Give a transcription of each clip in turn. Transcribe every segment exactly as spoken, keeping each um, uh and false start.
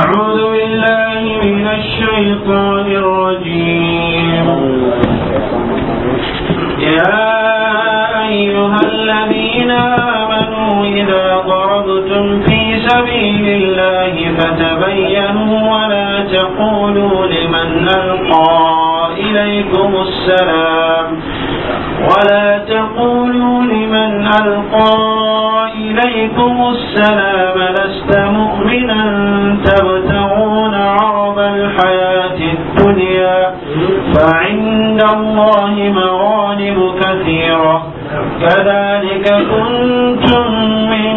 أعوذ بالله من الشيطان الرجيم. يا أيها الذين آمنوا إذا ضربتم في سبيل الله فتبينوا ولا تقولوا لمن ألقى إليكم السلام ولا تقولوا لمن ألقى إليكم السلام لست مؤمنا تبتغون عرض الحياة الدنيا فعند الله مغانم كثيرة كذلك كنتم من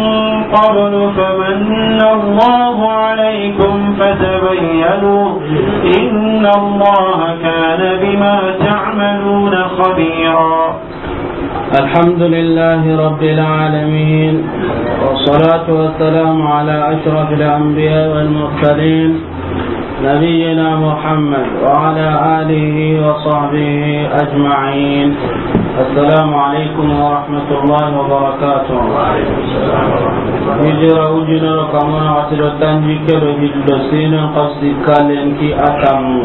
قبل فمن الله عليكم فتبينوا إن الله كان بما تعملون خبيرا. الحمد لله رب العالمين، والصلاة والسلام على أشرف الأنبياء والمرسلين، نبينا محمد وعلى آله وصحبه أجمعين. السلام عليكم ورحمة الله وبركاته. Hijira ujunero kamona watiro tanji kero hillo sinen kasi kalen ki atamu.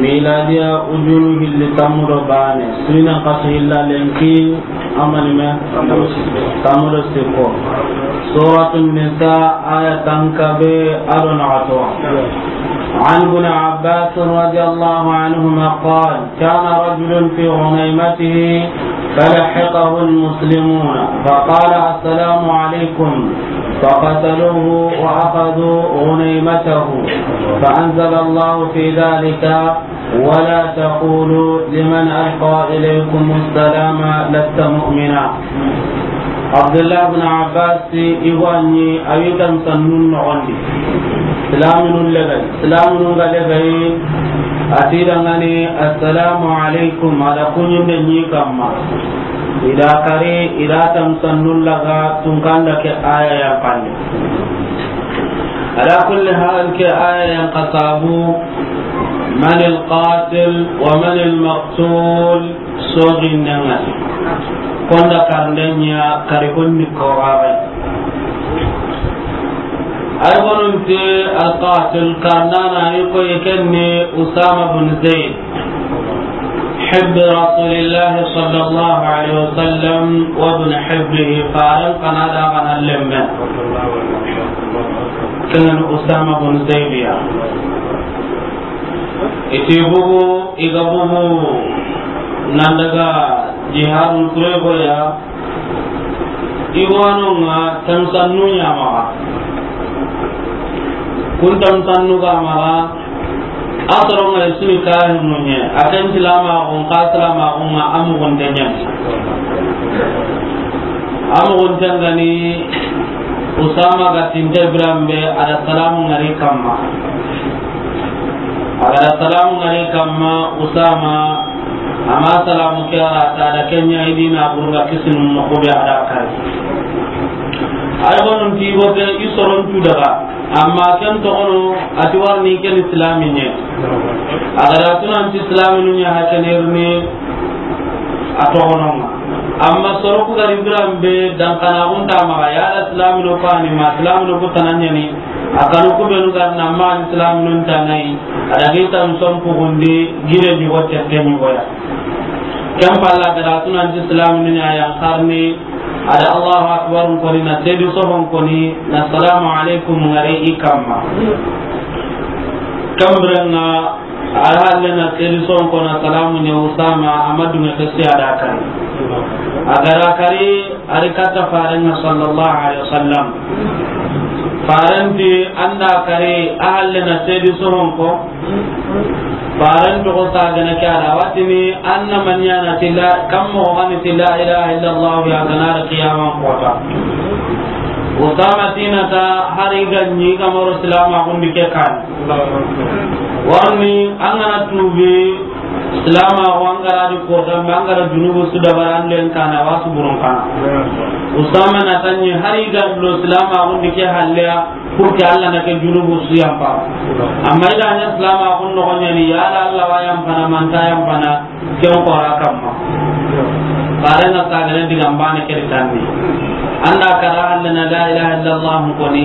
Miladiya ujunu hilli tamu do bane. Sinen kasi hilla lenki amani me. Tamu do siko. Suratu Nisa aya tankabe ado nagato. عن ابن عباس رضي الله عنهما قال: كان رجل في غنيمته فلحقه المسلمون فقال: السلام عليكم، فقتلوه وأخذوا غنيمته، فأنزل الله في ذلك: ولا تقولوا لمن ألقى إليكم السلام لست مؤمنا. Abdullah bin Abbas ti i go a ɲi a wi tan sannun noxondi. Silaminun legay, silaminun ga legay, a ti dangani, "Assalamu alaikum," a da kuɲinde ɲi kamma. I da kari, i da tan sannun laga tunkanda ke aya yan kande. Ala kulli hal, ke aya yan kasabu, man al-qatil wa man al-maqtul. Sogindenga konda karndenya kari konni korabe. Ay gonunti alqatil karnana ni ko yekenni Usama bin Zaid, hibbi Rasulillahi sallallahu alaihi wasallam wa bin hibbihi, faran kana da kana lembe. Kenan Usama bin Zaid ya. Iti bugu, i ga bugu nan daga jihadul kurego ya, i wanonga tansannu ɲamaxa. Kun tansannu ga maxa, a soronga i suni kahinnu ɲe, a ken silamaxun, ka silamaxunga a mugunte ɲen. A mugunten gani Usama ga tinte biranbe, a da salamu ngari kamma. A ga da salamu ngari kamma, Usama, ama salamu ke a ra ta da kenya i dina burga kisinu no ko be a da kari. Ay gonun ti go be i soron tu daga, amma ken to gono a ti warni ken islami ɲe. A ga da tunan ti islami nu ɲa ha ken irni a to gono. Amma soro ku gari biranbe dan kana unta ma ya da islami no ko ani ma islami no ko tananyani. A kanu ku benu ga na ma islaminun tanai, a da gi tan sompu gundi gire ɲugo tette ɲugo ya. Ken palla ga da tunanti islaminun ya yan karni, a da Allahu akbar koni, na sedi sohon koni, na salamu alaikum ngari i kamma. Kambirenga, a da halle na sedi sohon kona salamu ɲe Usama, a ma dunge ke si a da kari. A ga da kari, a ri katta farenga sallallahu alaihi wasallam. Farenti anda kari a halle na sedi sohon ko. Farenti ko sagana ke a da watini anna manyana tilla kammo gani tilla ilaha illallah ya ganar qiyaman kota. Usama tinata hari ganni kamaro silama gundi ke kan. Warni angana tubi Silama ko an ga ra di ko dan an ga ra junubu su dabara an len kana wasu burun kana. Usama na tanni hari ga lo silama ko ndi ke halle ya, pour que Allah na ke junubu su yampa. Amma i da ɲa silama ko no ko ɲani ya la Allah wa yampa na manta yampa na ken ko ra kamma. Farenga sagane diga mbane ke tanni. Anda kara halle na la ilaha illallah koni.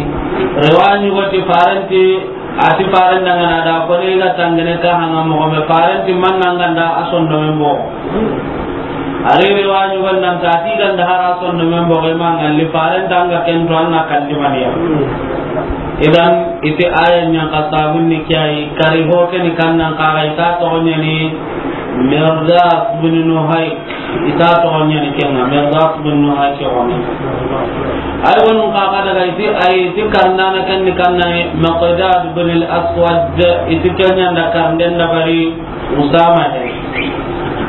Rewani wati farenti A ti faren da ŋa na da ko ne ga tangene ka hanga mo me faren ti man nan ganda a sondomen bo. A ri ri wa ɲugo nan ta ti ganda hara sondomen bo ma ngalli faren tanga ken to anna kalli maniya. Idan ite aya ɲan ka sabun ni kiyai kari ho ke ni kannan ka ga ita to ɲani Mirdas bin Nuhayk. Ita toxo ɲani kenga, Mirdas bin Nuhayk ke xoni. Ay wonu xa xa daga iti, ay ti karnana ken ni kanna Miqdad bin al-Aswad, iti kenya nda karnden da bari Usama he.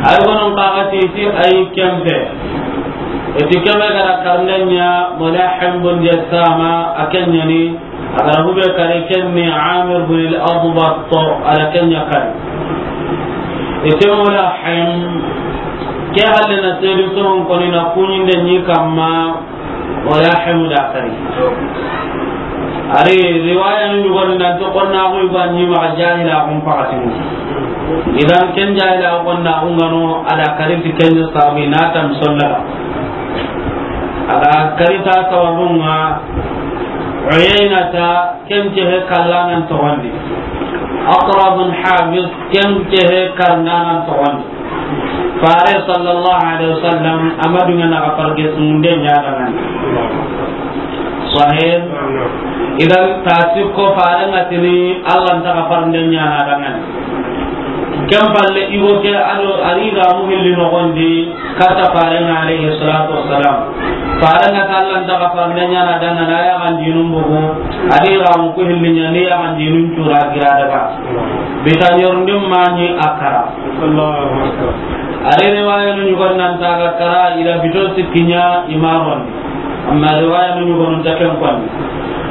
Ay wonu xa xa ti iti ay kempe. Iti kebe gara karnden ɲa Mulahim bin Jassama, a kenya ni A ga ra hube kari ken ni Amir bin al-Adbat, a da ken ɲa kari. Ite Mulahim, ke halle na sedi soron koni na kuɲinde ɲi kamma, Mulahim da kari. A ri riwaya ni ɲugoni nan to konna ko iba ɲi ma jahila kun pakatini. Idan ken jahila kun na ungano a da kari ti ken sabi na tam sondaga. A ga kari ta sababun ŋa Uyaynata ken cehe kallanan toxondi. Aqra bin Habis ken cehe karnanan toxondi. Fare sallallahu alaihi wasallam a ma duŋa na ga farge sunde ɲa dangani. Sahih. Idan ta sikko fare ŋa tini Allah nta ga farnde ɲa na dangani. Ken palle igo ke ado a ri ga mu hilli noxondi. Kata farenga alayhi salatu wassalam. Farenga ta Allah nta ga farnde ɲa na dangana ya kan dinun bugu. A di ga mu ku hilli ɲa ni ya kan dinun cura gira daga. Bita ɲorndin mani a kara. Allahu akbar. A ri riwaya nu ɲugon nan ta ga kara ila bito sikkiɲa imaron. Amma riwaya nu ɲugon ta ken kon.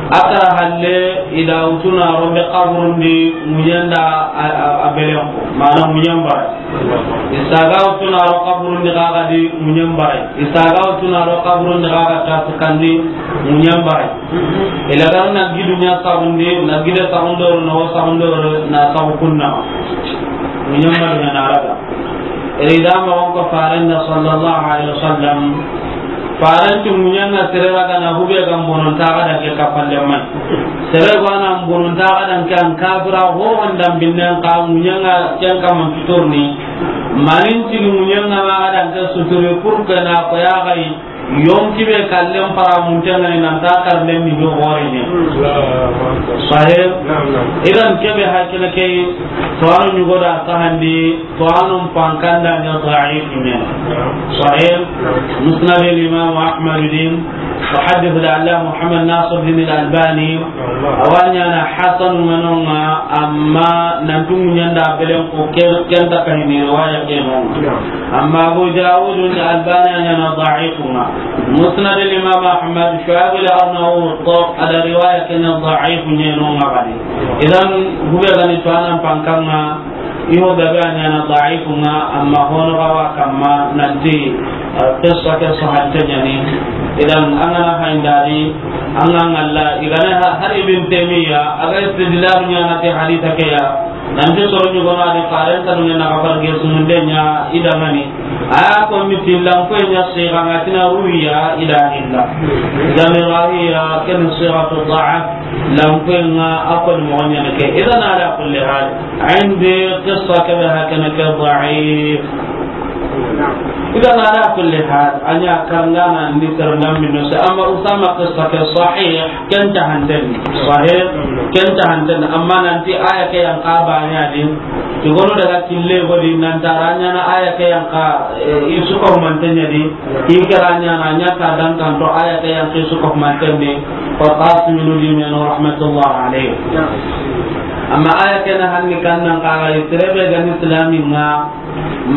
A kara halle ida utuna rombe kaburundi muɲen da a, a, a belen ko. Mana muɲen bara. I saga utuna ro kaburun di gaga di muɲen barai. I saga utuna ro kaburun di gaga ta sukandi muɲen barai. Ila gar na gidu ɲa sagundi, na gide sagundoro, na wo sagundoro, na sagu kunna. Muɲen barai na raga. Iri da ma wanko farenda sallallahu alaihi wasallam. Faranti muɲanga sere raga na hube ga mbonontaxa dan ke kapalle mai. Sere gana mbonontaxa dan ke an kafira ho andan binnen ka muɲanga ken kaman tuturni. Manin tigi muɲanga ma ga dan ke suturi pour que na ko ya gai yonki be kallen para muntengani nan ta karlen ni ho gore ne. Sahih. Idan kebe hakina ke to anu ɲugo da sahandi. To anun pankanda ɲa da'if ɲa. Sahih. Musnad al-Imam Ahmad din, muhaddith al-Allama Muhammad Nasir din al-Albani, a wa ɲaana hasan ŋa no ŋa, amma nan tu ɲanda belen ko ke, ken ta ka hini riwaya ke no ŋa. Amma Abu Dawud al-Albani a ɲaana da'if ŋa. Musnad al-Imam Ahmad, Shu'aib al-Arnaut, a da riwaya ke ɲa da'if ɲa no ŋa bani. Idan hube gani to anan pankanga. Iho gabe a ɲaana da'if ŋa, amma hono ga wa kamma nanti, eh, qissa ke sahante ɲani. Idan an ga na hayndari, an ga ŋalla, i ga na ha-, har Ibn Taymiya, a ga istidlal ɲaana ti haditha ke ya. Nanti soro ɲugono a di faren tanu ŋa na ga farge sumunde ɲa i da ŋani. A ya ko miti lan ko ɲa siga ŋa tina ruwiya i da illa. Idan rawiya ken sigatu da'af. Lampenga a koni moxo ɲana ke. Idan ala kulli hal, indi qissa kebe hakana ke da'if. Idan ala kulli hal, a ɲa karangana ni karanga minno se, amma Usama qissa ke sahih, ken ta hanten. Sahih, ken ta hanten, amma nanti aya ke yan ka ba ɲa di. Ti gono daga kille godi nan ta ra ɲana aya ke yan ka, eh, i su ko manten ɲa di. Ki kira ɲana ɲa ta dan kan to aya ke yan ke su ko manten de. Wa qasim bin Dimin rahmatullah alayhi. Amma aya ke na hanni kan nan ka ga sere be ga ni islami ŋa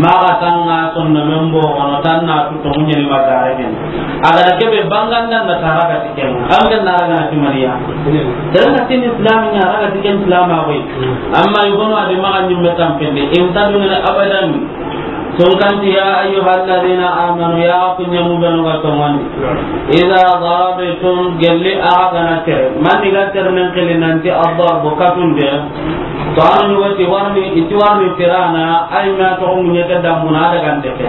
ma ga tanga sonno men bo ono tanna tu to muɲe ni magare men. A ga ke be banganda na tara ga tiken. An ga na ra ga ti mariya. Dan na tin islami ŋa ra ga tiken islama boy. Amma yugono a di ma ga ni metam pende. In ta dun abadan. Tunkanti, ya ayyuhalladhina amanu, ya ku ɲemu benu ga toŋondi. Idha darabtum, gelli a ga na tere. Mani ga tere nen kili nanti ad-darbu katunde. To anu ɲugo ti warni, i ti warni tirana, ay ma to muɲe ke dambuna daga ndeke.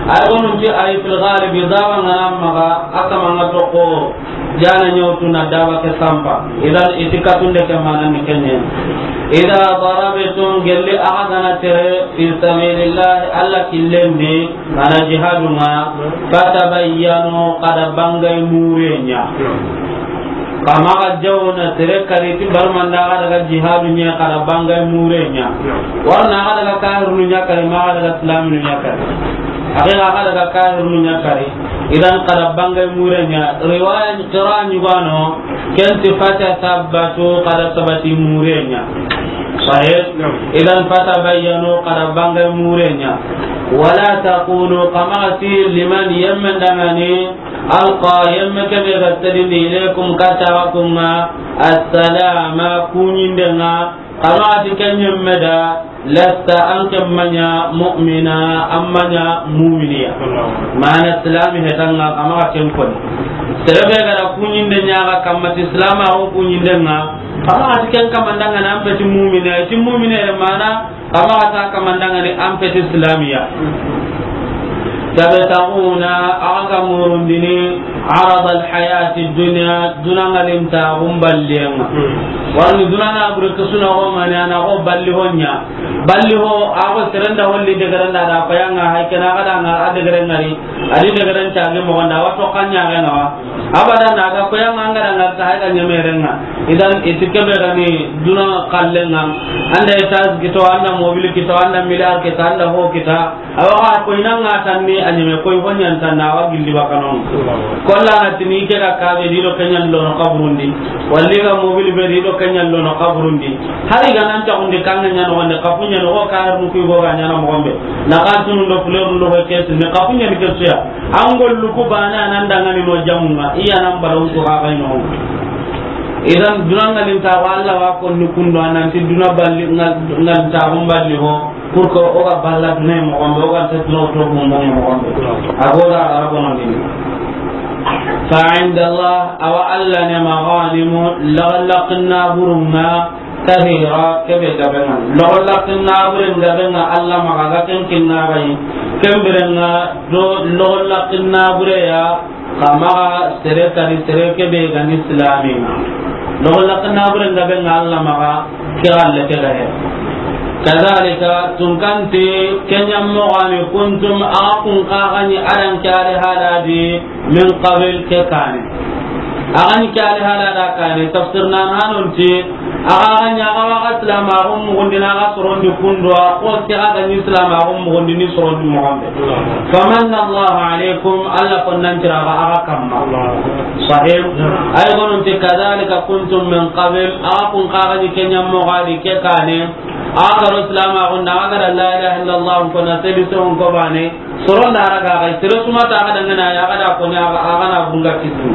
Ay gonun ti ay fil ghalib, daba ŋa na maxa, a kama ŋa toxo, jana ɲawtu na daba ke sampa. Idan i ti katunde ke mana ni kenye. Idha darabtum, gelli axa ga na tere, fi sabilillah, Alla killen di, mana jihadu ŋa, fatabayyanu, xa da bangay mure ɲa. Xa maxa jawo na tere kari ti barmanda xa daga jihadu ɲa, xa da bangay mure ɲa. Warna xa daga kahirunu ɲa kari, maxa daga islaminu ɲa kari. Axe xa daga kahirunu ɲa kari. Idan xa da bangay mure ɲa. Riwaya qira ɲugano, ken ti fatasabbatu, xa da sabati mure ɲa. Sahih? Idan fatabayyanu, xa da bangay mure ɲa. Wala taqulu, xa maxa ti liman, yemmen dangani, alqa, yemme kebe ga tedindi, ilaykum, kata wa kunga, assalama, kuɲinde ŋa, xa maxa ti ken yemme da, lasta, an ke maɲa mu'mina, an maɲa muminiya. Mana silami hetanga, xa maxa ken koni. Serebe ga da kuɲinde ɲa ga kamma ti silama o kuɲinde ŋa, xa maxa ti ken kamandanga na an peti mumina, ti mumine mana, xa maxa ta kamandanga ni an peti silamiya. Tabtaghuna, axa ga murundini, arada alhayati dunya, duna ŋa linta xumballenga. Warni duna na bure kusuna o mani ana o balli ho ɲa. Balli ho, a ko serenda holli de garanda da ko yanga hay kena ga da ŋa a de garengari. A di de garanta ge mo wanda wato kanya ga na wa. Abada na ga ko yanga ŋa da ŋa ta hay ga ɲemerenga. Idan i ti kebe ga ni duna kallenga. Anda etas kito, anda mobil kito, anda miliar kita, anda ho kita. Awa ko ina ŋa tanni a ɲeme ko i ho ɲan tanna wa gilli bakano. Kolla na tini ke ga kabe di do kenyan lono kaburundi. Walli ga mobil be di do kenyan lono kaburundi. Hari ga nan ta undi kanga ɲano wande kafu ɲano ko ka har mu ku go ga ɲana mo gombe. Na kan tunu do fleur do ko kes ni kafu ɲani kesuya. An gollu ku bana nan dangani no jamunga, iya nan balon ku ga ga no. Idan duna ŋa linta wa Alla wa ko ni kundo anan ti duna balli ŋa, ŋa ta xumballi ho, pour que o ga balla duna mo gombe, o ga ta duna to mo mo gombe. A go da ara ko no ni. Fa inda Allah, awa Alla ne maganimu, laxallaqna burunga, kathira, kebe gabenga. Laxallaqna buren gabenga Alla maxa ga ken kinna gai. Ken birenga do laxallaqna bureya, xa maxa sere kari sere kebe gani islami. Laxallaqna buren gabenga Alla maxa, ke galle ke gahe. Kadhalika, tunkanti, kenyam mogani kuntum, a kun kagani adan kare haladi, min qabil ke kane. Agan kali halada kane, tafsir nan hanonti, aga ganya aga waga islam agun mugundina aga sorondi kundwa, ko ke aga ni islam agun mugundini sorondi mugande. Famanna Allahu alaykum, Allah konnan tira aga kamma. Sahih. Ay gononti, kadhalika kuntum min qabl, aga kun kaga ni kenya mogadi ke kane, aga ro islam agun da aga la ilaha illallah ko na sebi so ko bane. Soron da raga ga, sere suma ta ga dangana ya ga da ko ni aga, aga na bunga kisini.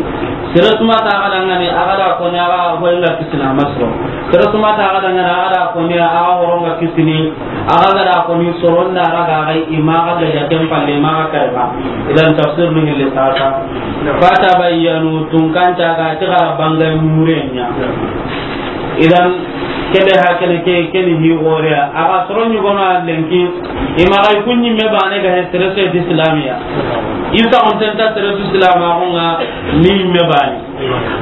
Sere suma ta ga dangani aga da ko ni aga hoynga kisina masro. Sere suma ta ga dangana aga da ko ni aga horonga kisini. Aga ga da ko ni soron da raga ga, ima ga da ya ken palle, ima ga kai ba. Idan tafsir ni hille sasa. Fata bayyanu, tunkanta ga ti ga bangay murenya. Idan kebe hakene ke, keni hi gore. Aga soron ni gono lenki. Ima ga kunni me bane ga he sere so ti islamiya. Isa on tenta sere su islama ko nga ni me bane.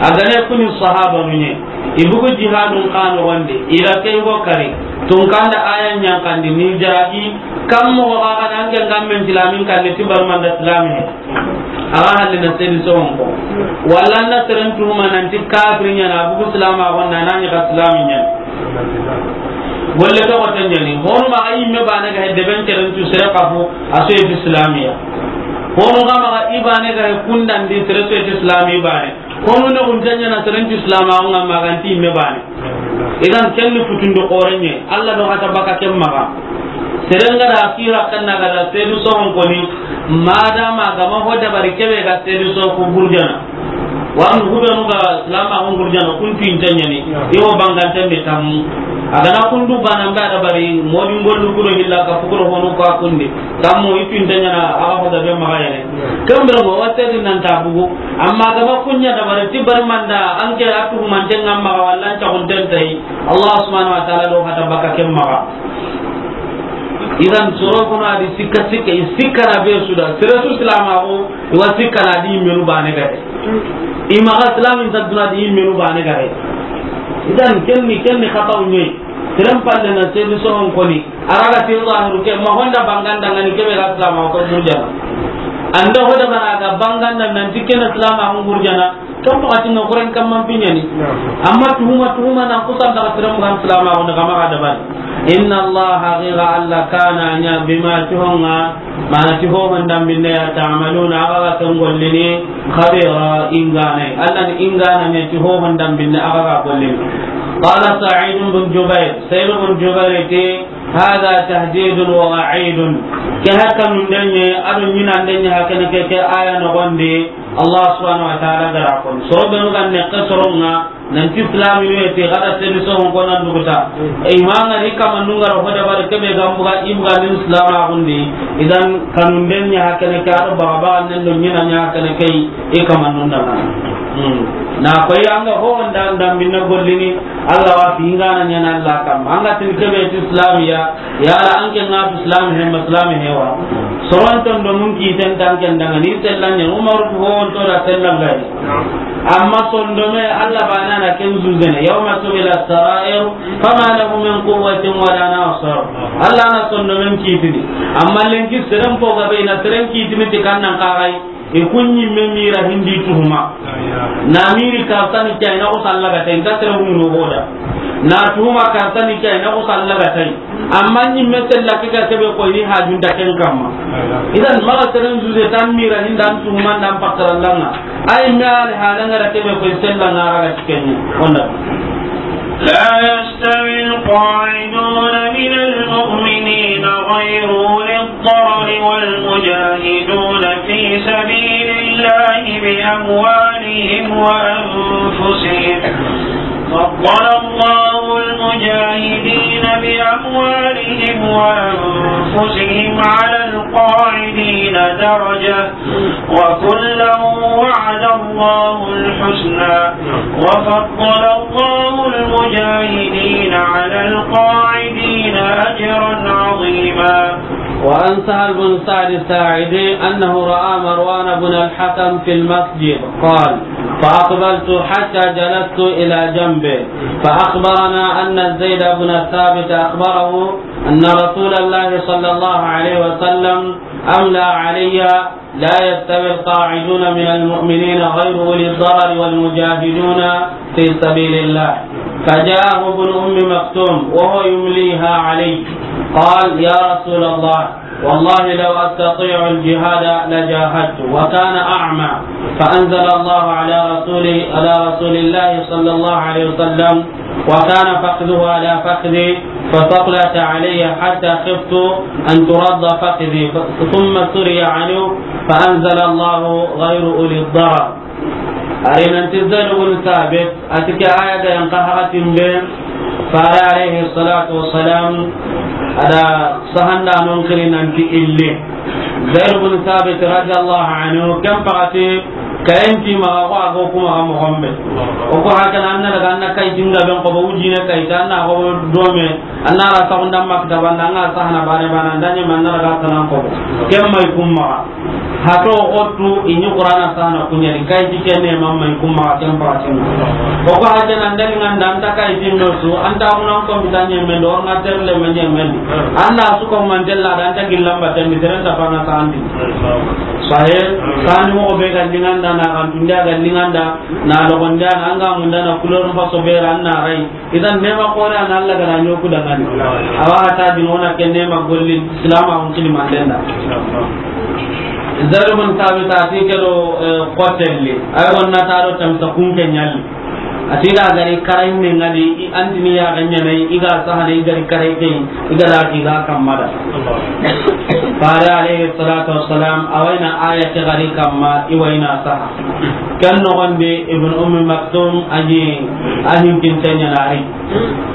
Aga ne kuni sahaba munye. Ibugu jihadun kanu wande. Ila ke go kare. Tunkanda aya nyankandi ni jaragi. Kam mo ga ga nan ke ngam men islamin kan ti barmanda islami. Aga halle na seni sonko. Walla na seren tuhuma nanti kafiri ɲana, bugu silama gonna, nani ga silami ɲana. Golle to ko tanyani. Honu ma ga imme bane ga hedde ben teren tu sere kafu, a so yeti islamiya. Honu ga ma ga ibane ga kundandi sere so yeti islami bane. Honu ne kun tanyana seren tu islama nga ma ga nti imme bane. Idan ken ni futundi xorenye, Allah do hata baka ken maxa. Serenga da kira kanna ga da sedu sohon koni, madama gama ho dabari kebe ga sedu so ku gurjana. Wan hubenu ga lama hon gurjana, kun tu intanyani, iwo bangante me tammu. Agana kundu bana mba dabari, modi ngollu kuro hilla ka fukuro honu ko akundi. Tammu itu intanyana, aga ho da be maxa yene. Kambira mo wasedi nan tabugo. Amma gama kunya dabari ti barmanda, anke atu mantenga maxa wallan ta huntentai. Allah subhanahu wa ta'ala do hata baka ken maxa. Idan soro kono a di sikka sikka, i sikka na be su da. Sere su silaamaxu, i wa sikka na di yimmenu baane gare. I maxa silaamin ta duna di yimmenu baane gare. Idan ken ni, ken ni xataw ɲoyi. Seren palle na sedi sohon koni. A ra ga ti zahiru ke, ma honda banganda ŋa ni ke be ga silaamaxu ko burjana. An da hoda bana ga banganda nan ti ke na silaamaxu burjana. Kan waxati ŋa, Qur'an kamman piɲani. Amma tuhuma, tuhuma nan kusan daga sere mugan silaamaxu ni, xa maxa dabari. Inna Allah, haqiqa Allah, kana, a ɲa, bima, ti ho ŋa, mana ti ho hondambinne ya, ta'maluna, axa ga ken gollini, khabira, ingane. Allah ni ingana ɲa ti ho hondambinne axa ga gollini. Qala Sa'id bin Jubair, Sa'id bin Jubair ti, Hada tahdidun wa wa'idun. Ke hakkanundenye, ado ɲinandenye hakene ke, ke aya nogondi, Allah subhanahu wa ta'ala gara kon. Soro benu ga nekke soronga, nanti Islaminu eti, gada sedi sohon kona duguta. Imanga ri kama nungara hoda bare kebe gambuga, ibuga nin Islam agundi. Idan kanundenye hakene ke, ado baga baga nendo ɲinanye hakene ke, i kama nunda. Hmm. Na koyi anga ho nda, nda minna gollini, Allah wa fi ingana ɲana Allah kam. Anga tin kebe ti Islamiya, yala anke nga tu Islam he, ma Islam he wa. Soron ton do mun ki ten tan ken danga ni sellan ne Umar ko ho to da sellan gari. Amma sondome Allah bana na ken zuzene. Yawma tubila sarair, fama lahu min quwwatin wala nasir. Allah na sondomen kitini. Amma lenki seren po gabe na seren kitini ti kannan kagai. I kun ɲimme mira hindi tuhuma. Na miri kartani ke, i na ko sallaga tay, nta sere hunu hoda. Na tuhuma kartani ke, i na ko sallaga tay. Amma ɲimme sella ke ga sebe ko ni hajun ta ken kamma. Idan maga seren juge tan mira hindan tuhuma ndan pakarallanga. Ay me al halanga da kebe ko sella ngara ga tikenni. Onda. لا يستوي القاعدون من المؤمنين غير أولي الضرر والمجاهدون في سبيل الله بأموالهم وأنفسهم. فضل الله المجاهدين بأموالهم وأنفسهم على القاعدين درجة، وكلا وعد الله الحسنى، وفضل الله المجاهدين على القاعدين أجرا عظيما. وعن سهل بن سعد الساعدي أنه رأى مروان بن الحكم في المسجد، قال: فأقبلت حتى جلست إلى جنبه، فأخبرنا أن زيد بن ثابت أخبره أن رسول الله صلى الله عليه وسلم أملى علي: لا يستوي القاعدون من المؤمنين غير أولي الضرر والمجاهدون في سبيل الله. فجاءه ابن أم مكتوم وهو يمليها عليه، قال: يا رسول الله، والله لو أستطيع الجهاد لجاهدت، وكان أعمى، فأنزل الله على رسوله، على رسول الله صلى الله عليه وسلم، وكان فخذه على فخذي، فثقلت علي حتى خفت أن ترد فخذي، ف-، ثم سري عنه فأنزل الله: غير أولي الضرر. Ari nanti Zaid bin Thabit, a ti ke aya ga yanqa hakatin be, Fare alayhi salatu wassalam, a da sahanda non kiri nanti ille. Zaid bin Thabit radiyallahu anhu, ken pakati, kayen ti maxa ko a go kuma ga moxo be. O ko hakana an na daga an na kayi tinga ben ko ba wujine kayi ta an na go dome, an na ra saxunda maktaba nda an ga sahana bane bane, an da ɲi man na daga sanan ko. Ken may kuma. Hato otu i ɲi Qur'ana sahana kuɲa di kayi ti kenne mamma i kuma ken pakati. O ko hakana an da ni nganda an ta kayi ti no su, an ta munan ko mi ta ɲeme do, an ga terle ma ɲeme. An na su ko man tella da an ta gillamba tan mi teren ta fana sandi. Sahe, sani mo be ga linganda na kan tunda ga linganda na lo gonda na an ga munda na kulor faso be ran na rai. Idan nema kore an Allah ga na ɲoku dangani. Awa ta di nona ken nema golli Islam a on kili mandenda. Zaid bin Thabit a ti ke do, eh, kotelli. Ay wonna ta do tamsa kun ke ɲalli. A ti da gari karay ne ngadi i antini ya ganya ne i ga sahane i gari karay ke i ga da ki ga kamada. Fare alayhi salatu wassalam, a wayna aya ke gari kamma, i wayna saha. Ken noxon di Ibn Ummi Maktum a ɲi a hinkinte ɲa na ri.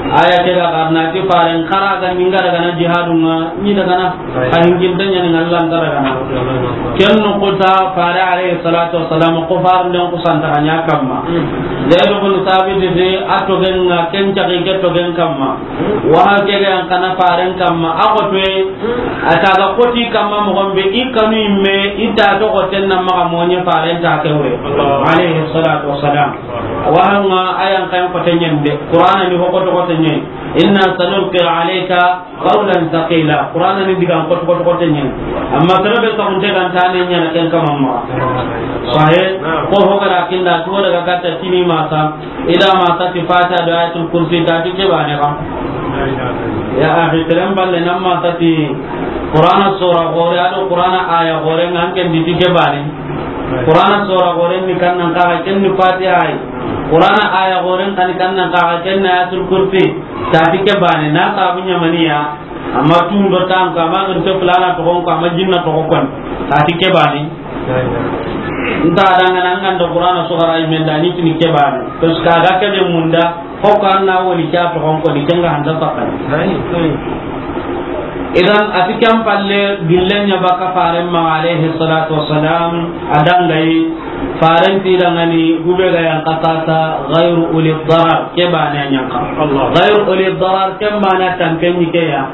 A ya ke ga xarana ti faren xara ga ni n ga daga na jihadun ŋa, ni daga na a hinkinte ɲa ni ŋalla n ga daga na. Ken noxu ta fare alayhi salatu wassalam ko faren den ku santa ɲa kamma. Zaid ibn Thabit de a togen ŋa ken cagi ke togen kamma. Wa ke ga yan kana faren kamma a ko to. A ta ga koti kamma moxon be i kanu imme i ta to ko ten na maxa moɲe faren ta ke wure. Allahu. Alayhi salatu wassalam. Wa hanga ayan kan ko ten ɲen de. Qur'ana ni ko to ko ten ɲen. Inna sanulqi alayka qawlan thaqila. Qur'ana ni digan ko to ko ten ɲen. Amma sere be saxunte ga nta ne ɲa na ken kamma. Sahih. Ko ho ga ra kinda to daga katta kini masa. Ida ma sati Fatiha do Ayatul Kursi, ta ti ke bane ba. Ya akhi, teren balle nan ma sati Qur'ana sura gore, ado Qur'ana aya gore, ngan ken di ti ke bane. Qur'ana sura gore ni kan nan ka ken ni Fatiha ay. Qur'ana aya gore kan ni kan nan ka ken na Ayatul Kursi, ta ti ke bane, na ka bu ɲamaniya. Amma tun do tan ka ma gin to fulana to ko, amma jinna to ko kon. Ta ti ke bane. Nta danga nan kan do Qur'ana sugara i men da ni tini ke bane. Parce que a ga ke be munda, ko kan na woni kya to ko ni kenga handa sakkan. Idan a ti ken palle gillen ɲa baka faren ma alayhi salatu wassalam, a dangai faren ti dangani gube ga yan kasasa ghayru uli darar, ke bane yan ka. Allah. Ghayru uli darar, ke bane tan ken ni ke ya.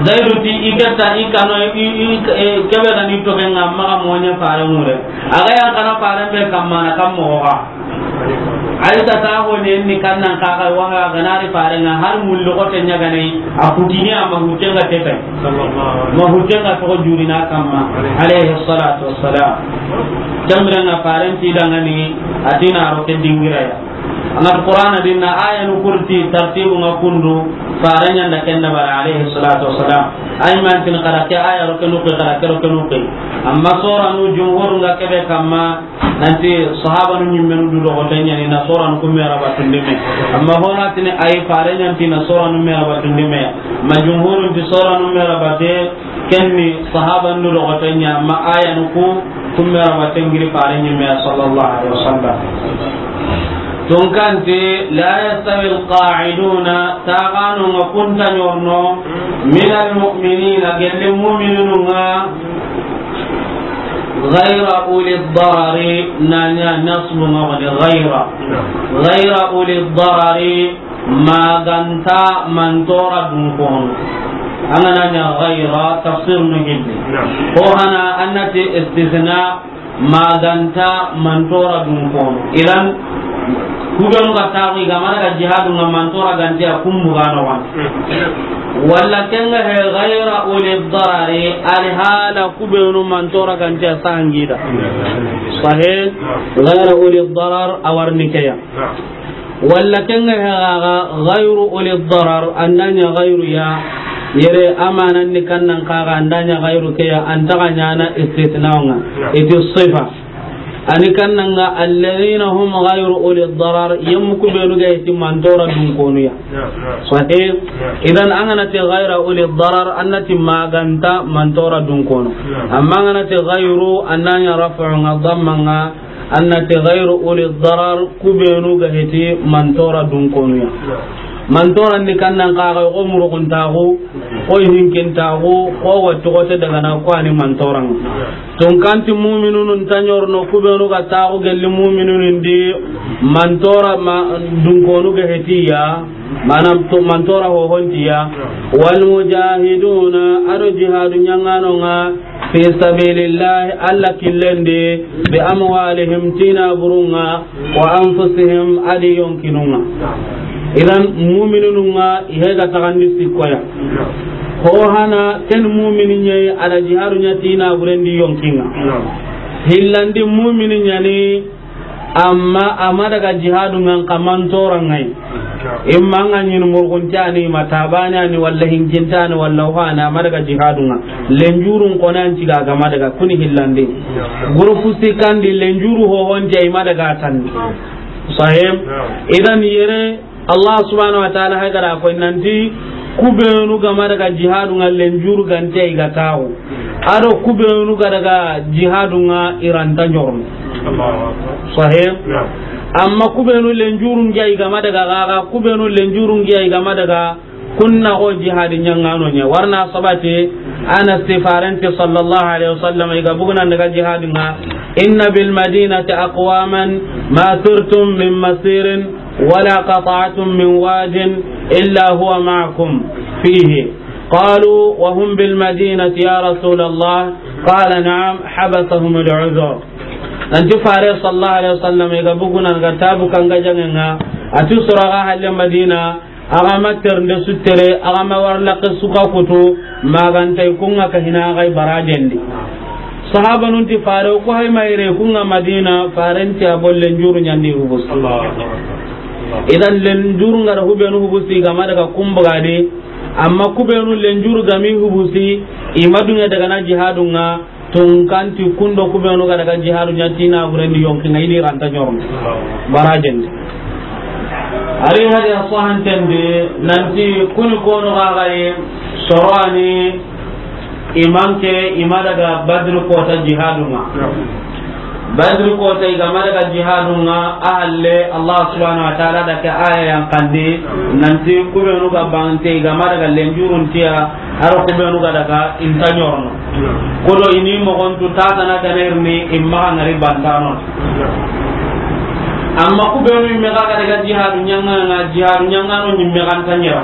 Zaidu ti i keta i kano i, i, i, e, ke be ga ni to ken ŋa maxa moɲe faren ŋure. A ga yan kana faren be kamma na kammo ga. Aisha ta ho ne ni kan nan ka ga wa ga na ri faren ŋa har mullu ko ten ɲa ga ne a kutini a ma hujja ga te kai. Sallallahu alaihi. Ma hujja ga to juri na kamma. Alaihi. Alayhi salatu wassalam. Jamra na faren ti dangani a ti na ro ke dingira ya. An ga Qur'ana dinna aya nu kurti tartibu ŋa kundu, faren ɲa nda ken da bara alayhi salatu wassalam. Ay man tin xara ke aya ro ke nu ke, xara ke ro ke nu ke. Amma sura nu jumhur ŋa ke be kamma nanti sahaba nu ɲimme nu du do ko ten ɲa ni na sura nu kumme ra batundi me. Amma hona tini ay faren ɲa nti na sura nu me ra batundi me. Ma jumhurun ti sura nu me ra bate Ken ni sahaban du logoto ɲa, ma aya nu ku, kumme ra wa tengiri fare ɲimme ya, sallallahu alaihi wasallam. Tunkanti, la yastawi alqa'iduna, taxanu ŋa kunta ɲorno, min almu'minina, gelli mu'mininu ŋa, ghayra uli darari, na ɲa nasbu ŋa wani ghayra, ghayra uli darari, maganta mantora dun kono. An ga na ɲa ghayra tafsir nu hilli. Naam. Ko hana annati istisna, maganta mantora dun kono. Idan, ku be nu ga taxu i ga ma daga jihadu ŋa, mantora ga nta ya, kun bu ga no wan. Mm. Walla ken ŋa he ghayra uli darari, alhala ku be nu mantora ga nta ya sangida. Sahih, ghayra uli darar a wa ni ke ya. Naam. Walla ken ŋa he gaga ghayru uli darar, an da ɲa ghayru ya, yere amanan ni kannan kaga an da ɲa ghayru ke ya, an ta ga ɲaana istitna ŋa. Naam. Iti sifa. Ani kannan ŋa alladhina hum ghayru uli darar, yemmu ku be nu ga iti mantora dun konu ya. Naam, naam. Sahih. Naam. Idan an ga na ti ghayra uli darar, an na ti maganta mantora dun kono. Naam. Amma an ga na ti ghayru, an da ɲa raf'u ŋa, damma ŋa, An na ti ghayru uli darar, ku be nu ga heti mantora dun konu ya. Mantora ni kannan kaga, ko murugun taxu, ko hinkin taxu, ko wattu ko te daga na ko ani mantora ŋa. Tunkanti mu'minunu nta ɲorno ku be nu ga taxu gelli mu'minunu ndi mantora ma dun konu ga heti ya. Manam to mantora ho honti ya. Wal mujahiduna, ado jihadu ɲaŋano ŋa, fi sabilillah, Alla killen di, bi amwalihim, ti naburun ŋa, wa anfusihim, adi yonkinun ŋa. Idan, mu'minun ŋa, i he ga taxandi sikko ya. Ho hana, ken mu'mini ɲa yi, a da jihadu ɲa ti naburen di yonkin ŋa. Hillandi mu'mini ɲa ni, Amma a ma daga jihadu ŋa, nxa mantora ŋa yi. Imma ŋa ɲini murgunte ani, ma tabane ani, walla hinkinte ani, walla ho ani, a ma daga jihadu ŋa. Lenjurun kone an ciga ga ma daga kuni hillandi. Gurupu sikandi lenjuru ho honte i ma daga tanni. Sahih? Idan yere Allah subhanahu wa ta'ala hay gara ko nanti ku be nu ga ma daga jihadu ŋa lenjuru ga nta i ga taxu. Ado ku be nu ga daga jihadu ŋa i ra nta ɲorno. Sahih. Amma ku benu lenjurun ke i ga ma daga gaga, ku benu lenjurun ke i ga ma daga, kun na go jihadi ɲaŋano ɲa. Warna sabati, Anas ti farenti sallallahu alaihi wasallam i ga buguna daga jihadi ŋa, inna bil madinati aqwaman ma sirtum min masirin wala qata'tum min wadin illa huwa ma'akum fihi. Qalu wa hum bil madinati ya Rasulallah. Qala na'am, habasahum al uzr. Nanti fare sallallahu alaihi wasallam i ga buguna ga tabu kanga jaŋe ŋa, a ti soro ga halle Madina, a ga ma ternde su tere, a ga ma warlaqe su ga kutu, maganta i kun ŋa ka hina ga i barajen di. Sahabanun ti fare, ku hay mayre kun ŋa Madina, farenti a bolle njuru ɲandi hubusi. Idan lenjuru ŋa da hubenu hubusi ga ma daga kun bugadi, amma ku benu lenjuru ga mi hubusi, i ma duŋe daga na jihadu ŋa, tunkanti kundo ku benu ga daga jihadu ɲa ti na burendi yonki ŋa i di ranta ɲorno. Barajen di. Ari hadi a sahanten di, nanti kuni kono ga ga ye, soro a ni i manke, i ma daga Badri kota jihadu ŋa. Badri kota i ga ma daga jihadu ŋa, a halle Allah subhanahu wa ta'ala da ke aya yan kandi, nanti ku benu ga bante i ga ma daga lenjurun tiya, a ro ku benu ga daga i nta ɲorno. Kodo i ni mogontu ta tana ga na i rini, i ma ga ŋari bantano. Amma ku benu i me ga daga jihadu ɲaŋa ŋa, jihadu ɲaŋano ɲi me ga nta ɲera.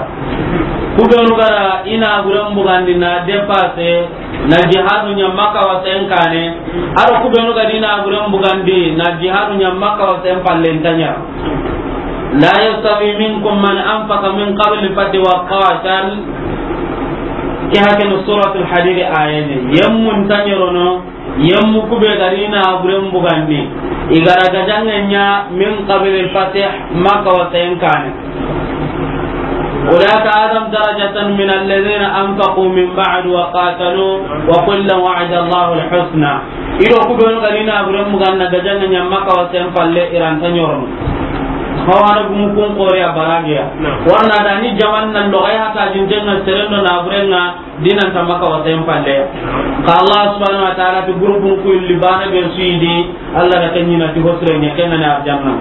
Ku benu ga da i na buren bugandi na dépasser, na jihadu ɲa Makka wasen kane, a do ku benu ga da i na buren bugandi na jihadu ɲa Makka wasen palle nta ɲa. La yastawi minkum man anfaqa min qabli fathi wa qatal. Ke hakene Suratul Hadid aya ni. Yemmu nta ɲerono, yemmu ku be ga da i na buren bugandi, i ga da gajaŋe ɲa min qabli fathi, Makka wasen kane. أولئك أعظم درجة من الذين أنفقوا من بعد وقاتلوا وكلا وعد الله الحسنى. I do ku benu ga da i na buren bugandi na gajaŋe ɲa Makka wasen palle i ra nta ɲorono. Hawana gumu kun xori a baragiya. Warna da ni jaman nan do ga ya ta jinten na seren do na buren ŋa. Dinan ta Makka wasen palle. Ka Allah subhanahu wa ta'ala ti groupe ku illi bana be su yi di, Allah da ken ɲi na ti hosre ɲa ken na arjanna.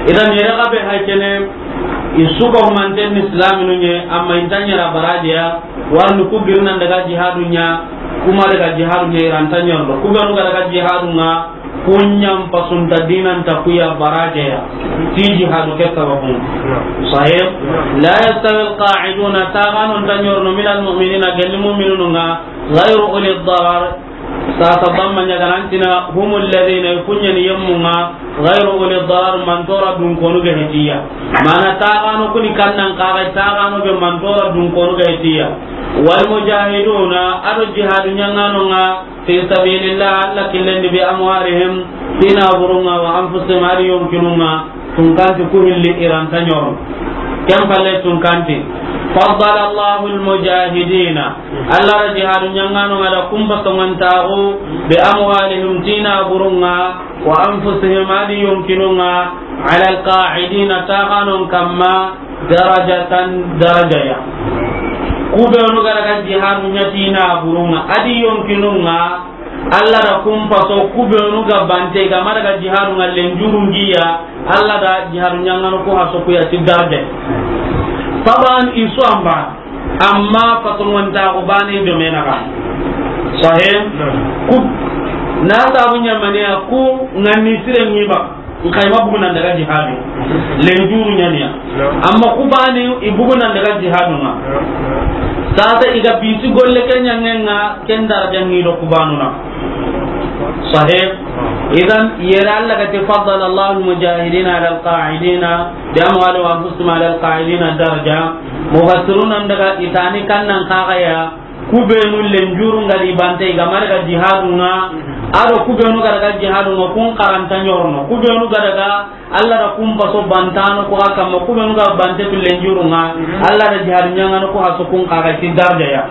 Idan yere ga be hay kene, i su ga humanten ni islaminu ɲe, amma i nta ɲera barajiya, warni ku girnan daga jihadu ɲa, kuma daga jihadu ɲa i ra nta ɲorno. Ku benu ga daga jihadu ŋa, Kunɲan pasunta dinan ta kuya barajeya. Ti jihadu ke sababun. Sahih. La yastawi alqa'iduna, taxanon ta ɲorno, min almu'minina, gelli mu'minunu ŋa, ghayru uli darar. Sasa bamma ɲaganantina, humul ladhina, kunɲani yemmu ŋa, ghayru uli darar, mantora dunkonu ga hetiya. Mana taxano kuni kannan kaga, taxano be mantora dunkonu ga hetiya. Wal mujahiduna, ado jihadu ɲaŋano ŋa, fi sabilillah, Allah killen di, bi amwalihim, ti naburun ŋa, wa anfusihim, adi yonkinun ŋa, tunkanti ku hilli i ra nta ɲoro. Ken palle tunkanti. Faddala Allahu almujahidina. Allah da jihadu ɲaŋano ŋa da kumba soŋantaxu, bi amwalihim, ti naburun ŋa, wa anfusihim, adi yonkinun ŋa, ala alqa'idina, taxanon kamma, darajatan, darajaya. Ku benu ga daga jihadu ɲa ti naburun ŋa, adi yonkinun ŋa, Allah da kun paso ku benu ga bante, ga ma daga jihadu ŋa lenjurun giya, Allah da jihadu ɲaŋano ku haso kuya ti daraja. Taban i su amba, amma paso ŋonta ko bane do mena ga. Sahih? Ku, na sabu ɲamaniya ku ŋanni sire ŋi ba. Nxa i ma bugunan daga jihadu. Lenjuru ɲaniya. Amma ku bani i bugunan daga jihadu ŋa. Sasa i ga bisi golle ke ɲaŋen ŋa, ken daraja ŋi do ku banu na. Sahih. Idan yere Allah ga ti faddala Allahu almujahidina ala alqa'idina bi amwalihim wa anfusihim ala alqa'idina daraja. Mufassiruna daga i tani kannan kaga ya, Ku benu lenjuru ŋa di bante, i ga ma daga jihadu ŋa, ado ku benu ga daga jihadu ŋa, kun xa ra nta ɲorno. Ku benu ga daga, Allah da kun paso bantano ku ga kamma, ku benu ga bante tu lenjuru ŋa, Allah da jihadu ɲaŋano ku haso kun xa ga ti daraja ya.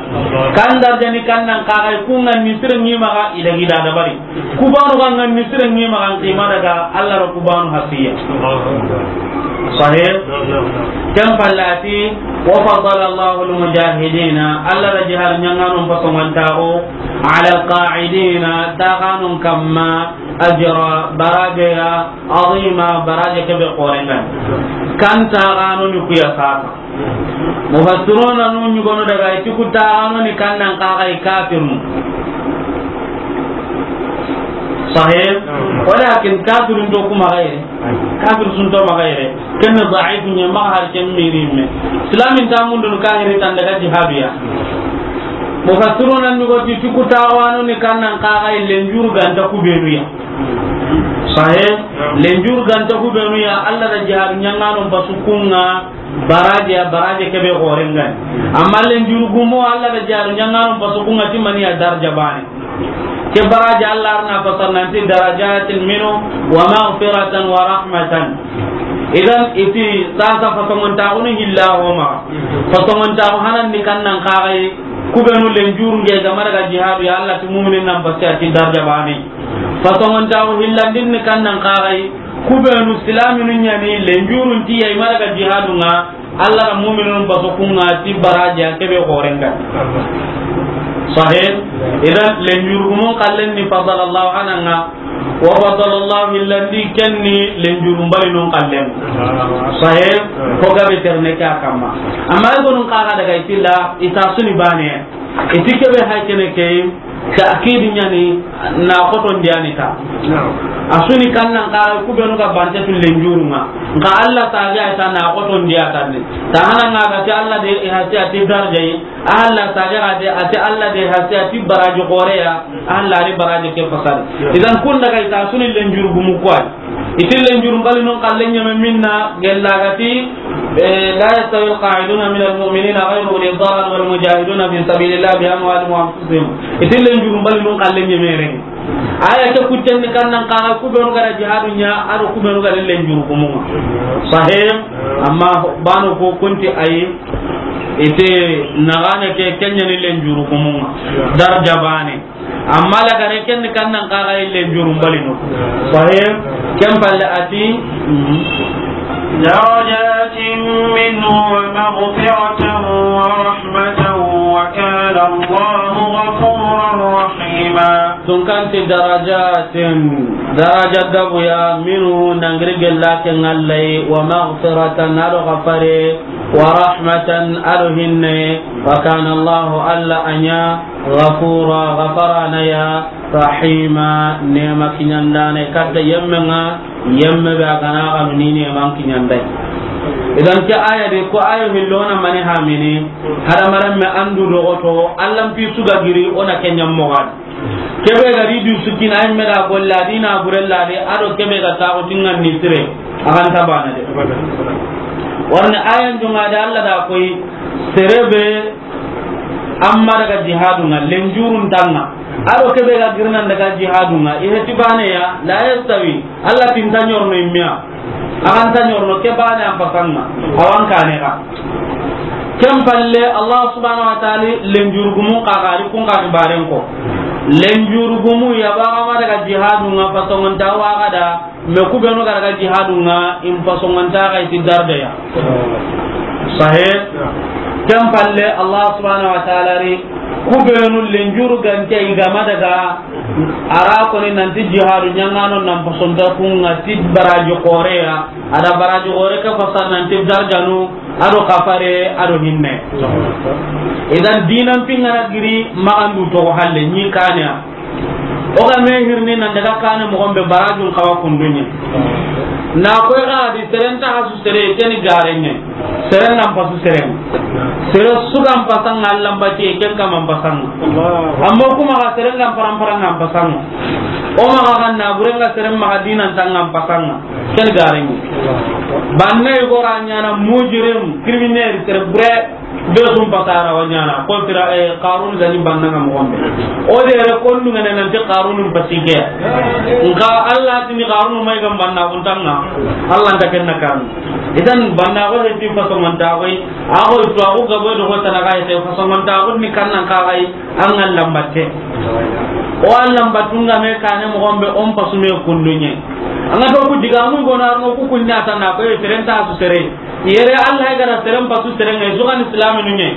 Kan daraja ni kannan xa ga, ku ŋanni sire ŋi maxa, i dagi da dabari. Ku banu ga ŋanni sire ŋi maxa, nxa i ma daga, Allah da ku banu hasiya. Sahih? Ken palle a ti, wa faddala Allahu al-mujahidina, Allah da jihadu ɲaŋanon paso ŋantaxu, ala al-qa'idina, taxanun kamma, Ajra, baraje ya, azima, baraje kebe xoren ŋa ni. Kan taxano ni ku ya sasa. Mufassiruna nu ɲugono daga i ti ku taxano ni kan nan kaxa i kafirnu. Sahih? Walakin kafirun to kuma xayre. Kafir sun to maxa yere. Ken ni daifu ɲa, maxa har ken miri me. Islamin ta mundun kahiri tan daga jihadu ya. Mufassiruna ni go ti ku taxano ni kan nan kaxa i lenjuru ganta ku benu ya. Sahih? Lenjuru ganta ku benu ya, Allah da jihadu ɲaŋano basu ku ŋa baraje ya, baraje kebe xoren ŋa ni. Amma lenjuru gumo Allah da jihadu ɲaŋano basu ku ŋa ti mani ya, darja bane. Ke baraji Allah arna fasar nanti darajatin minhu wa maghfiratan wa rahmatan. Idan i ti sasa fasongontaxunu hilla xoma. Fasongontaxu hanan ni kan nan kaxay ku benu lenjuru nge ga ma daga jihadu ya, Allah ti muminin nan basi a ti darja bane. Fasongontaxu hillandin ni kan nan kaxay ku benu silaminu ɲa ni lenjurun ti ya i ma daga jihadu ŋa. Allah da muminun baso ku ŋa ti baraji ya kebe xoren ŋa. Sahih? Idan lenjuru gumun xallen ni fadalallahu ananga, wa fadalallahu hillandi ken ni lenjuru mbalinun xallen. Sahih? Ko gabe terne ke a kamma. Amma i gonun kaxa daga i ti la, i ta su ni bane. I ti kebe hay kene ke, ta'kidi ɲa ni, na xotondi ya ni ta. A su ni kan nan kaxa ku benu ga bante tu lenjuru ŋa. Nka Allah sage a ta na xotondi ya ta ni. Ta hana ŋa ga ti Allah de i hasi a ti darja yi. Allah sage ga de a ti Allah de hasi a ti baraji xore ya. Allah ri baraji ke fasari. Idan kun daga i ta su ni lenjuru gumu ku wa. I ti lenjuru mbalinun xallen ɲeme minna gella ga ti, eh, la yastawi alqa'iduna min almu'minina ghayru uli darar wal mujahiduna fi sabilillah bi amwalihim wa anfusihim. I ti lenjuru mbalinun xallen ɲeme ren. Aya ke kutten ni kan nan kaxa ku benu ga da jihadu ɲa, a do ku benu ga da lenjuru gumu ŋa. Sahih? Amma bano ko kunti ayi, i ti naxane ke ken ɲa ni lenjuru gumu ŋa. Darja bane. Amma lagare ken ni kan nan kaxa i lenjuru mbalinu. Sahih? Ken palle a ti, mhm. Darajatin minhu wa maghfiratan wa rahmatan wa kana Allahu ghafuran rahima. Tun kan ti darajatin, daraja gabu ya, minhu nangiri gella ken Allah yi, wa maghfiratan, a do xafare, wa rahmatan, a do hinne, wa kana Allahu, Allah a ɲa, ghafura, ghafarana ya, rahima, nema kiɲandana, katta yemme ŋa, yemme be a ga na xanu ni neman kiɲandai. Idan ke aya de, ko ayo hillona mani hamini, hadamarenme andu dogoto, Allah mpi su ga giri, o na ke ɲammoxadi. Kebe ga ri du sukina, ay me da golla dina burella de, a do kebe ga taxu tingan ni sire, a ga nta bana de. Warni ayan dunga de, Allah da koy, sere be amma daga jihadu ŋa, lenjurun tanga. A do kebe ga girnan daga jihadu ŋa, i heti bane ya, la yastawi, Allah tinta ɲorno immiya. A ga nta ɲorno ke bane an pasanŋa, a wa n kane ga. Ken palle, Allah subhanahu wa ta'ala lenjurugumun kaga ri kun kani baren ko. Lenjurugumu ya ba ga ma daga jihadu ŋa fasongonta wa ga da, me ku benu ga daga jihadu ŋa in fasongonta ga i ti darda ya. Sahih. Ken palle, Allah subhanahu wa ta'ala ri ku benu lenjuru gante i ga ma daga A ra koni nanti jihadu ɲaŋano nan pasonta ku ŋa ti baraji xoore ya, a da baraji xoore ke fasa nanti darjanu, a do kafare, a do hinne. Idan dinan pingana giri maxandu toxo halle ɲi kane ya. O ga me hirni nan daga kane moxon be barajun xawa kunduɲe. Na koy ga di seren ta hasu sere keni gareɲe. Seren nan pasu seren. Sere su ga n pasanŋa Alla n batiye, ken kama n pasanŋa. Amma kuma ga seren ga n paran paran ŋa n pasanŋa. O maxa ga na buren ŋa seren maxa dinan tanŋa n pasanŋa. Ken gareɲe. Banna i gora ɲana mujrim, criminel, sere bure. Be su n pasara wa ɲana. Ko tira, eh, Qarun ga ni banna ŋa moxon be. O de re kondu ŋa ne nanti Qarun n pasi ke. Nka Alla ti ni Qarun may ga n banna kun tanŋa. Alla nta ken na kan. Idan banna ko he ti faso man ta koy. A ko to a ko gabo do ko tana ga he faso man ta ko ni kan nan ka ga yi an ga lambate. O an lambatu ŋa me kane moxon be on pasu me kunduɲe. An ga to ku diga mu go na no ku kunna tan na ko seren ta su sere. Yere Alla ga da seren pasu seren ŋa su ga ni islaminu ɲe.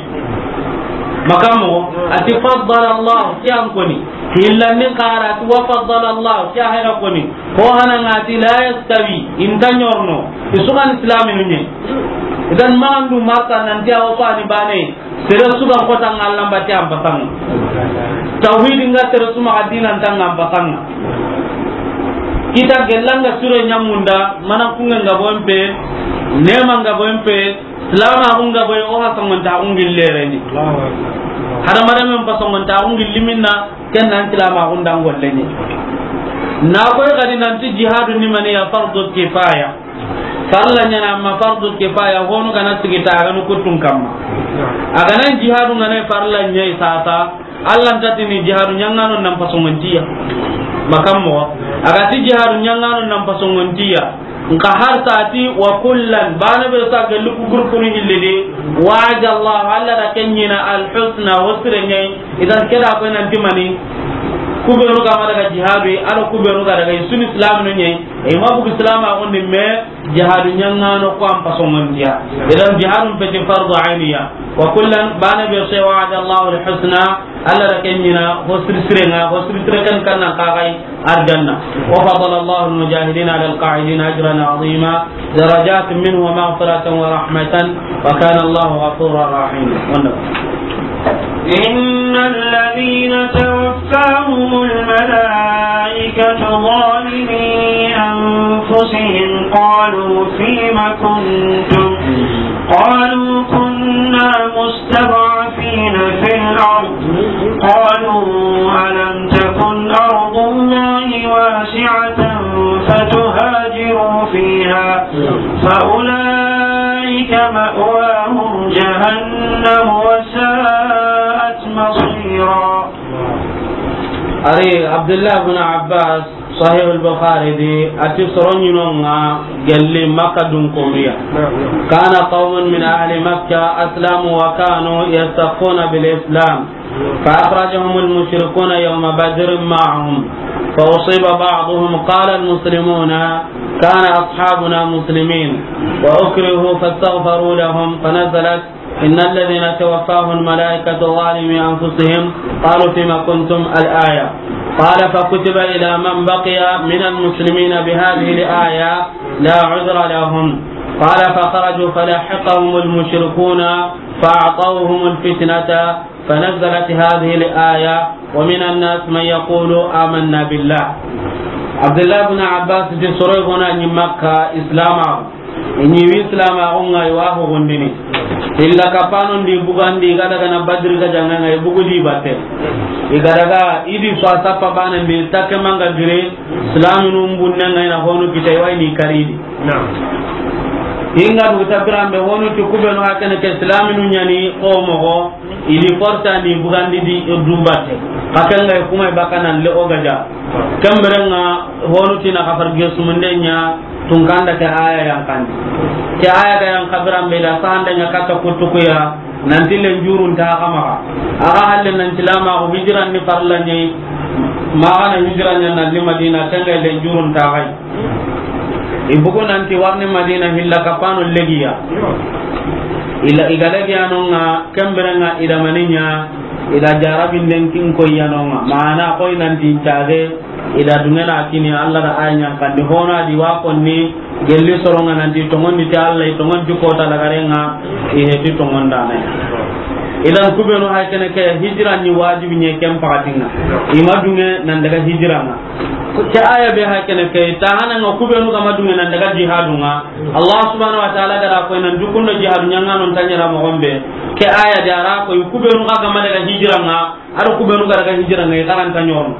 Maka moxo, a ti faddala Allah, ke an koni. Hillandin xa ra, a ti wa faddala Allah, ke a hayra koni. Ko hana ŋa ti la yastawi, i nta ɲorono. I su ga ni silaaminu ɲa yi. Idan, ma an du marta nan ti a wa ko a ni baane. Sere su ga kota ŋa Alla n bati an pasanŋa. Tawhidi ŋa sere su maxa diina nta ŋa an pasanŋa. Kita gella ŋa sure ɲa munda, mana kuŋe ŋa bo n pe, neema ŋa bo n pe, silaamaaxu ŋa bo yi, o ha soŋonta xu ŋi leere ni. Hadamaren men pa soŋonta xu ŋi liminna, ken nan silaamaaxu nda n golle ni. Na koy xadi nan ti jihadu ni mani ya fardu kifaya. Farla ɲa na, amma fardu kifaya, honu ga na sigi ta, a ga nu kuttun kamma. A ga na jihadu ŋa na farla ɲa yi sasa, Alla nta ti ni jihadu ɲaŋaano nan pasoŋontiya. Maka moxo. A ga ti jihadu ɲaŋaano nan pasoŋontiya. Nka har sa ti wa kullan, baane be sa ga luku gurkunu hillidi. Wa'ada Allah, Alla da ken ɲiina al husna, hosire ɲa yi. Idan ke da koy nan ti mani. Ku beenu ga ma daga jihadu yi, a do ku beenu ga daga yi, i su ni silaaminu ɲa yi. I ma bugu silaamaaxun di me. Jihadu ɲaŋaano ko an pasoŋontiya. Idan jihadun peti fardu ayniya. Wa kullan, baane be se wa'ada Allahu al-husna, Alla da ken ɲiina, ho siri sire ŋa, ho siri sire kan kan nan kaxay arjanna. Wa faddala Allahu al-mujahidina ala al-qa'idina ajran azima, darajatin minhu wa maghfiratan wa rahmatan, wa kana Allahu ghafurur rahima. Wannan. إن الذين توفاهم الملائكة ظالمي أنفسهم قالوا فيم كنتم؟ قالوا كنا مستضعفين في الأرض. قالوا ألم تكن أرض الله واسعة فتهاجروا فيها فأولئك مأواهم جهنم وساءت مصيرا. Ari Abdullah bin Abbas, Sahih al-Bukhari di, a ti soro ɲi no ŋa gelli Makka dunkonnu ya. كان قوم من أهل مكة أسلموا وكانوا يستخفون بالإسلام فأخرجهم المشركون يوم بدر معهم فأصيب بعضهم قال المسلمون كان أصحابنا مسلمين وأكرهوا فاستغفروا لهم فنزلت إن الذين توفاهم الملائكة ظالمي أنفسهم قالوا فيم كنتم الآية. قال فكتب إلى من بقي من المسلمين بهذه الآية لا عذر لهم. قال فخرجوا فلحقهم المشركون فأعطوهم الفتنة فنزلت هذه الآية ومن الناس من يقول آمنا بالله. Abdullah bin Abbas ti soro gona ni Makka Islam. I ɲi wi silaamaaxu ŋa, i wa ho gondini. Illa kapano ndi bugandi, i ga daga na Badri ga jaŋa ŋa, i bugudi batte. I ga daga i di so a sappa bana ndi, takke manga gire, silaaminu mbunne ŋa i na honu kita, i wa i ni karidi. Naam. I nga du tabirambe honu ti ku beenu hakene ke silaaminu ɲa ni ko moxo. I di forsa ni bugandi di du batte. Ka ken ga kuma i baka nan le o gaja. Ken bere ŋa honu ti na kafar gesumunde ɲa tunkanda ke aya yan kandi. Ke aya ga yan kabirambe da sahanda ɲa kata kutukuya nan ti len jurun ta kama. Aga halle nan silaamaaxu hijran ni farla ɲi. Ma ga na hijran ɲa nan ni Madina ken ga len jurun ta gai. I bugu nanti warni Madina hilla kapano legiya. Ila i ga legiya no ŋa, ken bere ŋa i da mani ɲa, i da jarabinden kin koyiya no ŋa. Maana koy nanti ntage, i da dungena kini Alla da aya ɲa kandi hona di wa konni gelli soro ŋa nanti tongondi ti Alla, i tongondi kota lagare ŋa, i heti tongondana. Idan ku beenu hay kene ke hijra ni wajibi ɲi ken pakatinŋa. I ma dunge nan daga hijra ŋa. Ke aya be hakene ke, ta hana ŋa ku beenu ga ma dunge nan daga jihadu ŋa. Allah subhanahu wa ta'ala ga da ko nan dukundo jihadu ɲaŋaano nta ɲaana moxo be. Ke aya da ra ko ku beenu ga ma daga hijra ŋa, a do ku beenu ga daga hijra ŋa, i xaranta ɲono.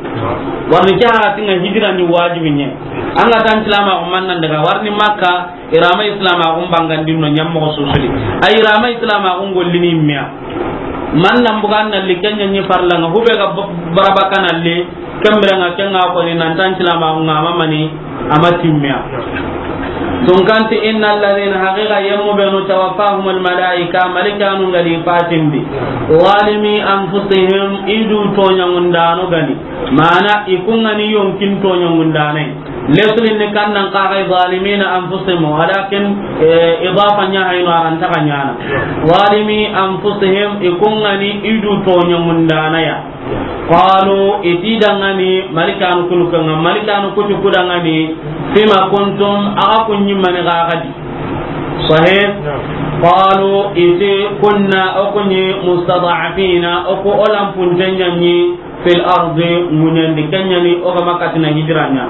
Warni ke ha tinŋa hijra ni wajibi ɲi. An ga tan silaamaaxu man nan daga warni Makka, i ra ma silaamaaxu bangandin no ɲa moxo susuli. Ay i ra ma silaamaaxu gollini miya. Man nan bugan na li ken ɲa ni farla ŋa, hube ga b-, baraba kana li, ken bere ŋa ken ŋa ko ni nan tan silaamaaxu ŋa ma mani, a ma timmiya. Tunkanti, innal ladhina, haqiqa yemmu beenu, tawaffahumul malaika, malikanu ga di fatindi. Zalimi anfusihim, i du toɲaŋundaano ga ni. Maana, i ku ŋa ni yonkin toɲaŋundaane. Lesulin ni kannan kaxay zalimina anfusihim, walakin, eh, idafa ɲa hayno aranta ka ɲana. Zalimi anfusihim, i kungani i du toɲamundanaya. Qalu, i ti dangani, malikanu kunu kanga, malikanu kutu kudangani, fima kuntum, aga kunyi mani gagadi. Sahih? Qalu, i ti kunna, o kunyi mustada'afina, o ku olampuntenyanyi, fil ardi, ŋuɲandi, kenyani, o ga makatina hijranya.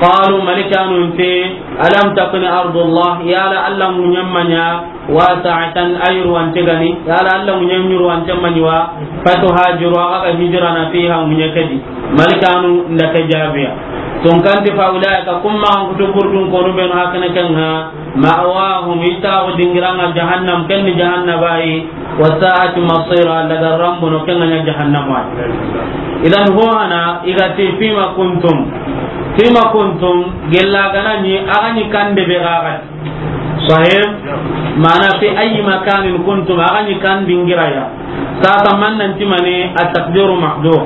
Qalu, malikanu nti, alam takun ardullah, yala Allah ŋuɲammanya, wasi'atan, ayruwante gani, yala Allah ŋuɲanyuruwante manyiwa, fatuhajiru, aga hijrana fiha, ŋuɲa kedi. Malikanu nda ke jabiya. Tunkanti fa ulaika, kumma an kutu burdun konu benu hakana kenga, ma'wahum, i taxu dingiranga jahannam, kenni jahannaba yi, wa sa'at masira, daga rambuno, kenga ɲa jahannama yi. Idan ho hana, i ga ti fima kuntum. Fima kuntum, gella gana ni, aga ni kande be gaga. Sahih? Mana fi ayi makanin kuntum, aga ni kan dingiraya. Sasa man nan timani, at-taqdiru mahdhuf.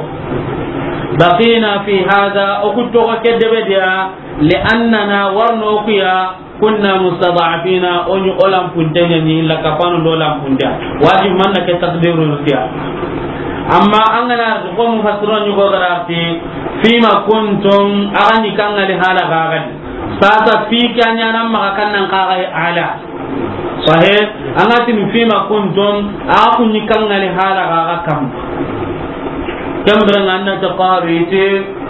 Baqina fi hadha, o kutoga kedebe dia, li annana warno kuya, kunna mustada'afina, o ɲi olampuntenyaɲi, la kapanu do olampunteya. Wajib manna ke takdiru rusiya. Amma an gana ko mufassirun ɲi ko garati, fima kuntum, aga ni kangali hala gagadi. Sasa fi kanya nan maga kannan kagai ala. Sahih, an ga tini fima kuntum, a ku ni kangali hala gaga kam. Kambira nganna ta qalu iti,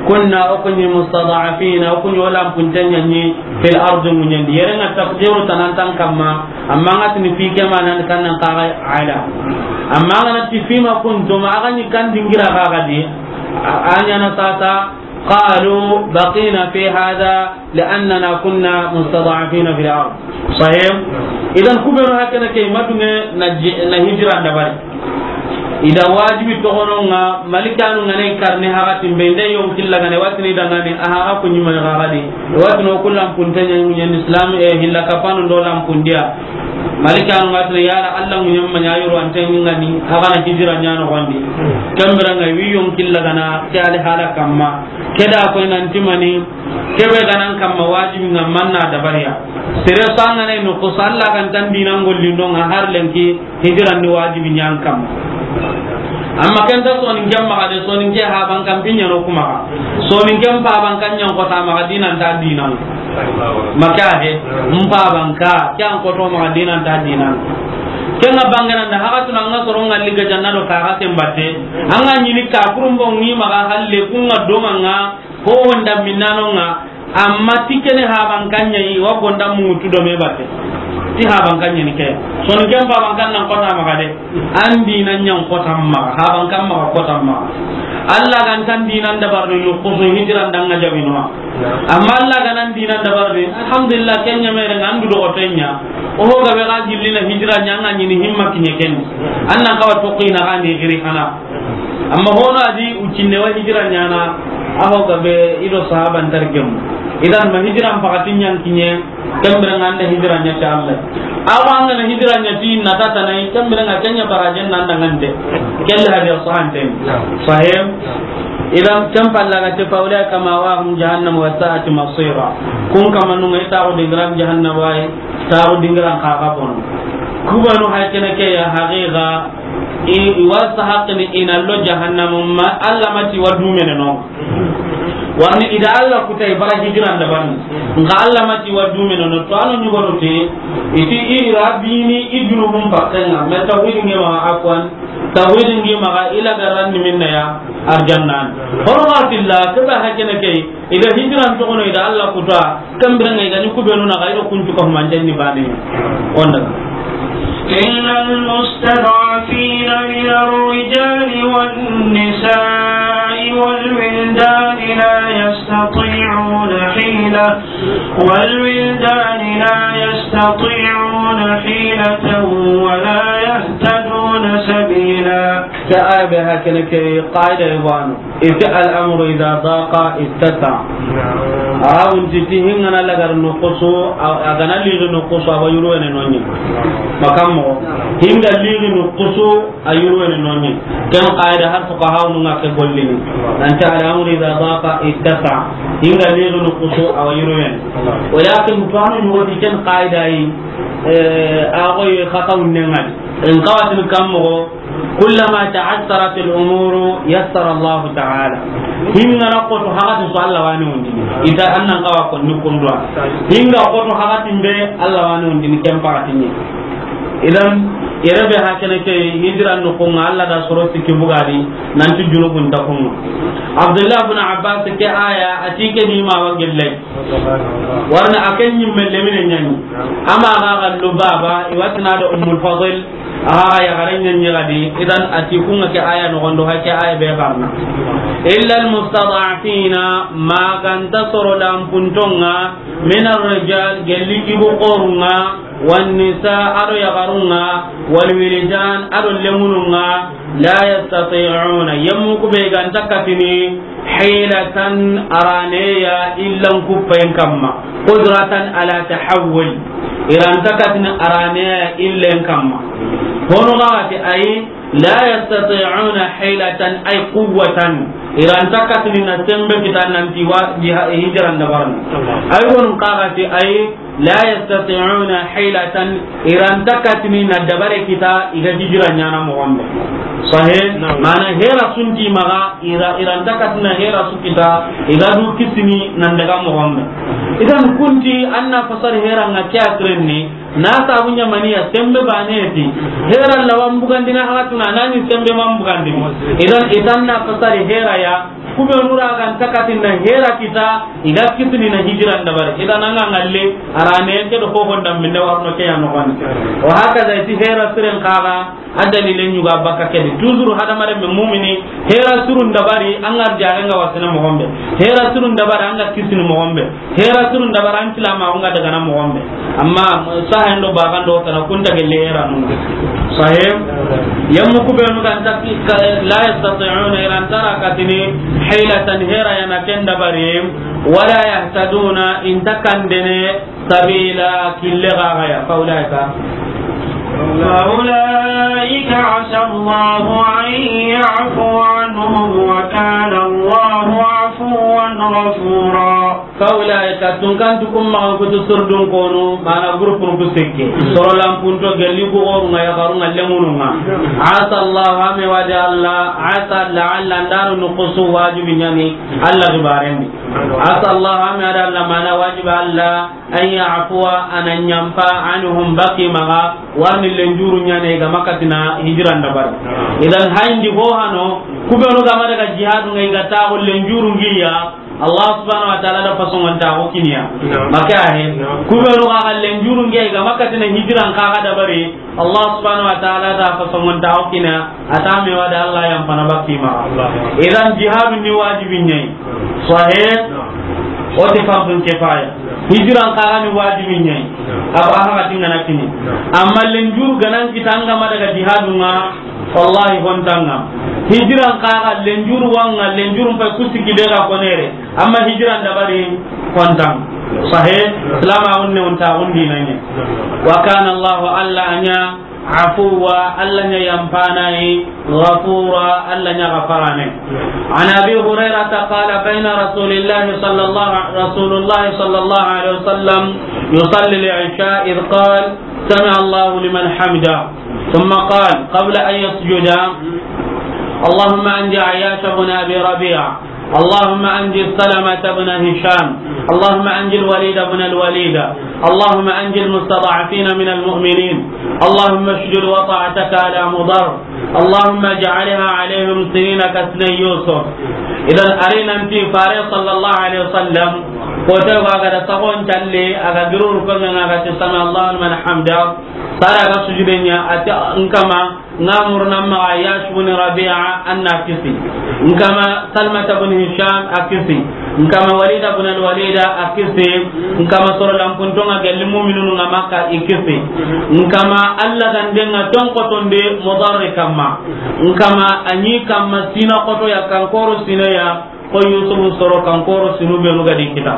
kunna, o kunyi mustada'afina, o kunyi olampuntenyaɲi, fil ardi, ŋuɲandi. Yere nga taqdiru tanantan kamma, amma nga tini fi kema nan kannan kagai ala. Amma nga na ti fima kuntum, aga ni kan dingira gagadi, a-, anyana sasa, qalu baqina fi hadha, li'annana kunna mustada'afina fil ard. Sahih? Idan kubenu hakana ke madunge na ji-, na hijra dabari. Ida wajibi togononga, malikanu ngane karne hagati mbende yon killa gane watini dangane, aha, aku nyima gagadi. Watino kullam puntanya nyen Islam, e, hilla kapanu do lam pundia. Malikanu ngatini yala Allah munyamma nyayuru antengani, hagana hijra nyano gondi. Kambira ngai wi yon killa gana, ke ali hala kamma. Keda ko nan timani, kebe ganan kamma wajibi nga manna dabariya. Sere sangane no ko salla kan tan dinan gollindo nga har lenki hijran ni wajibi nyan kamma. Amma kenta soninke maga de, soninke haban kan pinya no kuma. Soninke mpaban kan nyan kota maga dinan ta dinan. Maka he, mpaban ka, kyan koto maga dinan ta dinan. Kenga bangana na haga tuna nga soronga liga janna do kaga tembate. Anga nyini ka kurumbo ngi maga halle kunga donga nga Ko honda minnanonga, amma ti kene habankanɲa yi, wa gonda mutu do me batte. Ti habankanɲa ni ke. Soninken habankan nan kota maga de. An dinan ɲan kota maga, habankan maga kota maga. Allah gan tan dinan dabar do yo, ko so hijran danga jabinwa. Amma Allah gan an dinan dabar de, alhamdulillah, kenya mere ngandu do otenya. O ho gabe ga gillina hijra ɲanga ɲini himma kinye ken. Annan kawa toqina gandi giri kana. Amma hono adi ucinne wa hijira ɲana, aho gabe ido sahaban targem. Idan ma hijira mpakatin ɲan kinye, kambira nganda hijira ɲa ta Allah. Awa ngana hijira ɲa ti na tata nai, kambira nga kenya barajen nan dangante. Kelle hadi sahanten. Sahih. Idan kan palla ga te faula kama wa hum jahannam wa sa'at masira. Kun kama nunga ita ko dingiran jahannam wa, ta ko dingiran ka ka bono. Kubanu hakene ke ya haqiqa. I, i wa sahaqini ina lo jahannama ma Allah mati wa dumene no. Warni ida Allah kuta i bara hijiran da ban. Nga Allah mati wa dumene no to anu nyugo no te. Iti i rabbini i junubun pakkenga. Me tawhid nge ma afwan. Tawhid nge ma ila garanni minna ya arjannan. Hormatillah kaba hakene ke. Ida hijran togono ida Allah kuta, kambira ngai gani kubenu na gairo kuntu ko manten ni bani. Onda. إلا المستضعفين من الرجال والنساء والولدان لا يستطيعون حيلة، والولدان لا يستطيعون حيلة ولا يهتدون سبيلا. Ke aya be hakene ke qaida ibanu. Ita al-amru idha daqa ittasa. Arabun ti ti hinga na lagar nukusu, a, a ga na ligi nukusu, a wa yurwene no ɲi. Makan moxo. Hinga ligi nukusu, a yurwene no ɲi. Ken qaida har fuqahaw nu nga ke gollini. Nan ti al amru idha daqa ittasa. Hinga ligi nukusu, a wa yurwene. Walakin tuwanu ɲugo ti ken qaida yi, eh, a goye xata wunne ngani. In qawatin kan moxo, kullama ta'assarat al-umuru yassara Allahu ta'ala. Hinga na koto hagati su, Allah wa ni wundini. Ita annan kawa ko ni kundwa. Hinga koto hagati mbe, Allah wa ni wundini ken pagati ni. Idan, yere be hakene ke hijira no ko nga Allah da soro sikki bugadi, nanti junubun ta kunga. Abdullah ibn Abbas ke aya, a ti ke ni ma wa gellai. Warna a ken ɲimme lemine ɲani. Ama ga ga Lubaba, i wa ti na do Ummul Fadl, a ga ga yaxare ɲani gadi. Idan a ti kunga ke aya no gondo, ha ke aya be garna. Illa al-mustad'afina, ma ganta soro lampuntonga, min ar-rijal, gelli ibu qorunga, wan nisa, ado yaxarunga, wal wildan, ado lemununga, la yastati'una, yemmu kube ganta katini, hilatan, araneya, illan kuppayen kamma, qudratan ala tahawul, iranta katini araneya illen kamma. Hono gati ay, la yastati'una hilatan ay quwwatan, iranta katini na sembe kita nanti wa jiha-, hijran dabarni. Ay wonu gati ay, la yastati'una hilatan, iranta katini na dabare kita, iga hijira ɲana moxo be. Sahih? Naam. Mana hera sunti maga, ira-, iranta katina hera su kita, iga du kisini nan daga moxo be. Idan kunti anna fasar hera nga ke asirenni, na sabu ɲamaniya sembe bane ti. Hera lawan bugandina hagatuna, nani sembe man bugandini. Idan itanna fasar hera ya, Kube nura ga nta katina hera kita, iga kitini na hijira ndabari. Idan anga ngalle, arane ke do ko honda minne warno ke ya no kan. Wa hakaza iti hera siren kaga, a dalile ɲuga baka kedi. Toujours hadamare me mumini, hera surun dabari, anga jare nga wasina moxo be. Hera surun dabari, anga kitini moxo be. Hera surun dabari, an tilama, anga daga na moxo be. Amma sahen do bagan do tana kunta gelle hera nuna. Sahih? Yammu kubenu kan taki ka-, la yastati'una, iranta ra katini hilatan, hera ya na ken dabari, wala yahtaduna, inta kandene sabila, kille gaga ya, fa ulaika. Fa ulaika asa Allahu an ya'fu anhum wa kana Allahu afuwan ghafura. Fa ulaika, tunkantu kum maxan kutu surdun konu, mana groupe nu ku sekke. Soro lampunto gelli ku goru nga yaxaru nga lemunu nga. Asa Allah, ame wadi Allah, asa la'alla, ndanu nukusu wajibi ɲani Allah xibarendi. Asa Allah, ame wadi Allah, mana wajibi Allah, an ya'fuwa, ana ɲampa, anhum, baki maxa, warni lenjuru ɲane ga makatina hijira ndabari. Idan hayndi ho hano, kubenu ga ma daga jihadu ngai ga taxu lenjuru ngiya, Allah subhanahu wa ta'ala da fasongontaxu kiniya. Naam. Make ahe. Naam. Kubenu xa xallen jurunge ga makatina hijiran kaga dabari. Allah subhanahu wa ta'ala da fasongontaxu kiniya. Ata me wada Allah yan fana bakki ma. Allah. Idan jihadu ni wajibi ɲai. Sahih. Naam. Oti fardun kifaya. Hijiran kaga ni wajibi ɲai. Naam. Aba haga tingana kini. Naam. Amma lenjuru ganan kitanga ma daga jihadu nga. Wallahi, hontanga. Hijiran kaga lenjuru wanga, lenjurun pay kusiki de ga konere. Amma hijiran dabari, hontang. Sahih, Islam a wonne wonta wondi nanye. Wa kana Allahu, Allah anya, afuwa, Allah nya yampana yi, ghafura, Allah nya ghafarane. عن أبي هريرة قال: بين رسول الله صلى الله، رسول الله صلى الله عليه وسلم يصلي العشاء إذ قال: سمع الله لمن حمده. ثم قال قبل أن يسجد: اللهم أنج عياش بن أبي ربيعة، اللهم أنج سلمة بن هشام، اللهم أنج الوليد بن الوليد، اللهم أنج المستضعفين من المؤمنين، اللهم اشدد وطأتك على مضر، اللهم اجعلها عليهم سنين كسني يوسف. Idan, a ri nanti Fare sallallahu alaihi wasallam, ko te wa ga da sagon talle, a ga giruru ko nga ga ti: سمع الله لمن حمده. Sara ga sujude nya, a ti: N kama, nga murna ma Ayyash bin Rabi'a, an na kisi. N kama Salmata bin Hisham, a kisi. N kama Walid bin al-Walid, a kisi. N kama soro lampuntonga gelli mu'minun nga Makka, i kisi. N kama Allah gandenga tonkotonde Mudarri kamma. N kama anyi kamma sina koto ya kankoro sina ya. Ko Yusufu soro kan koro sinu benu ga di kita.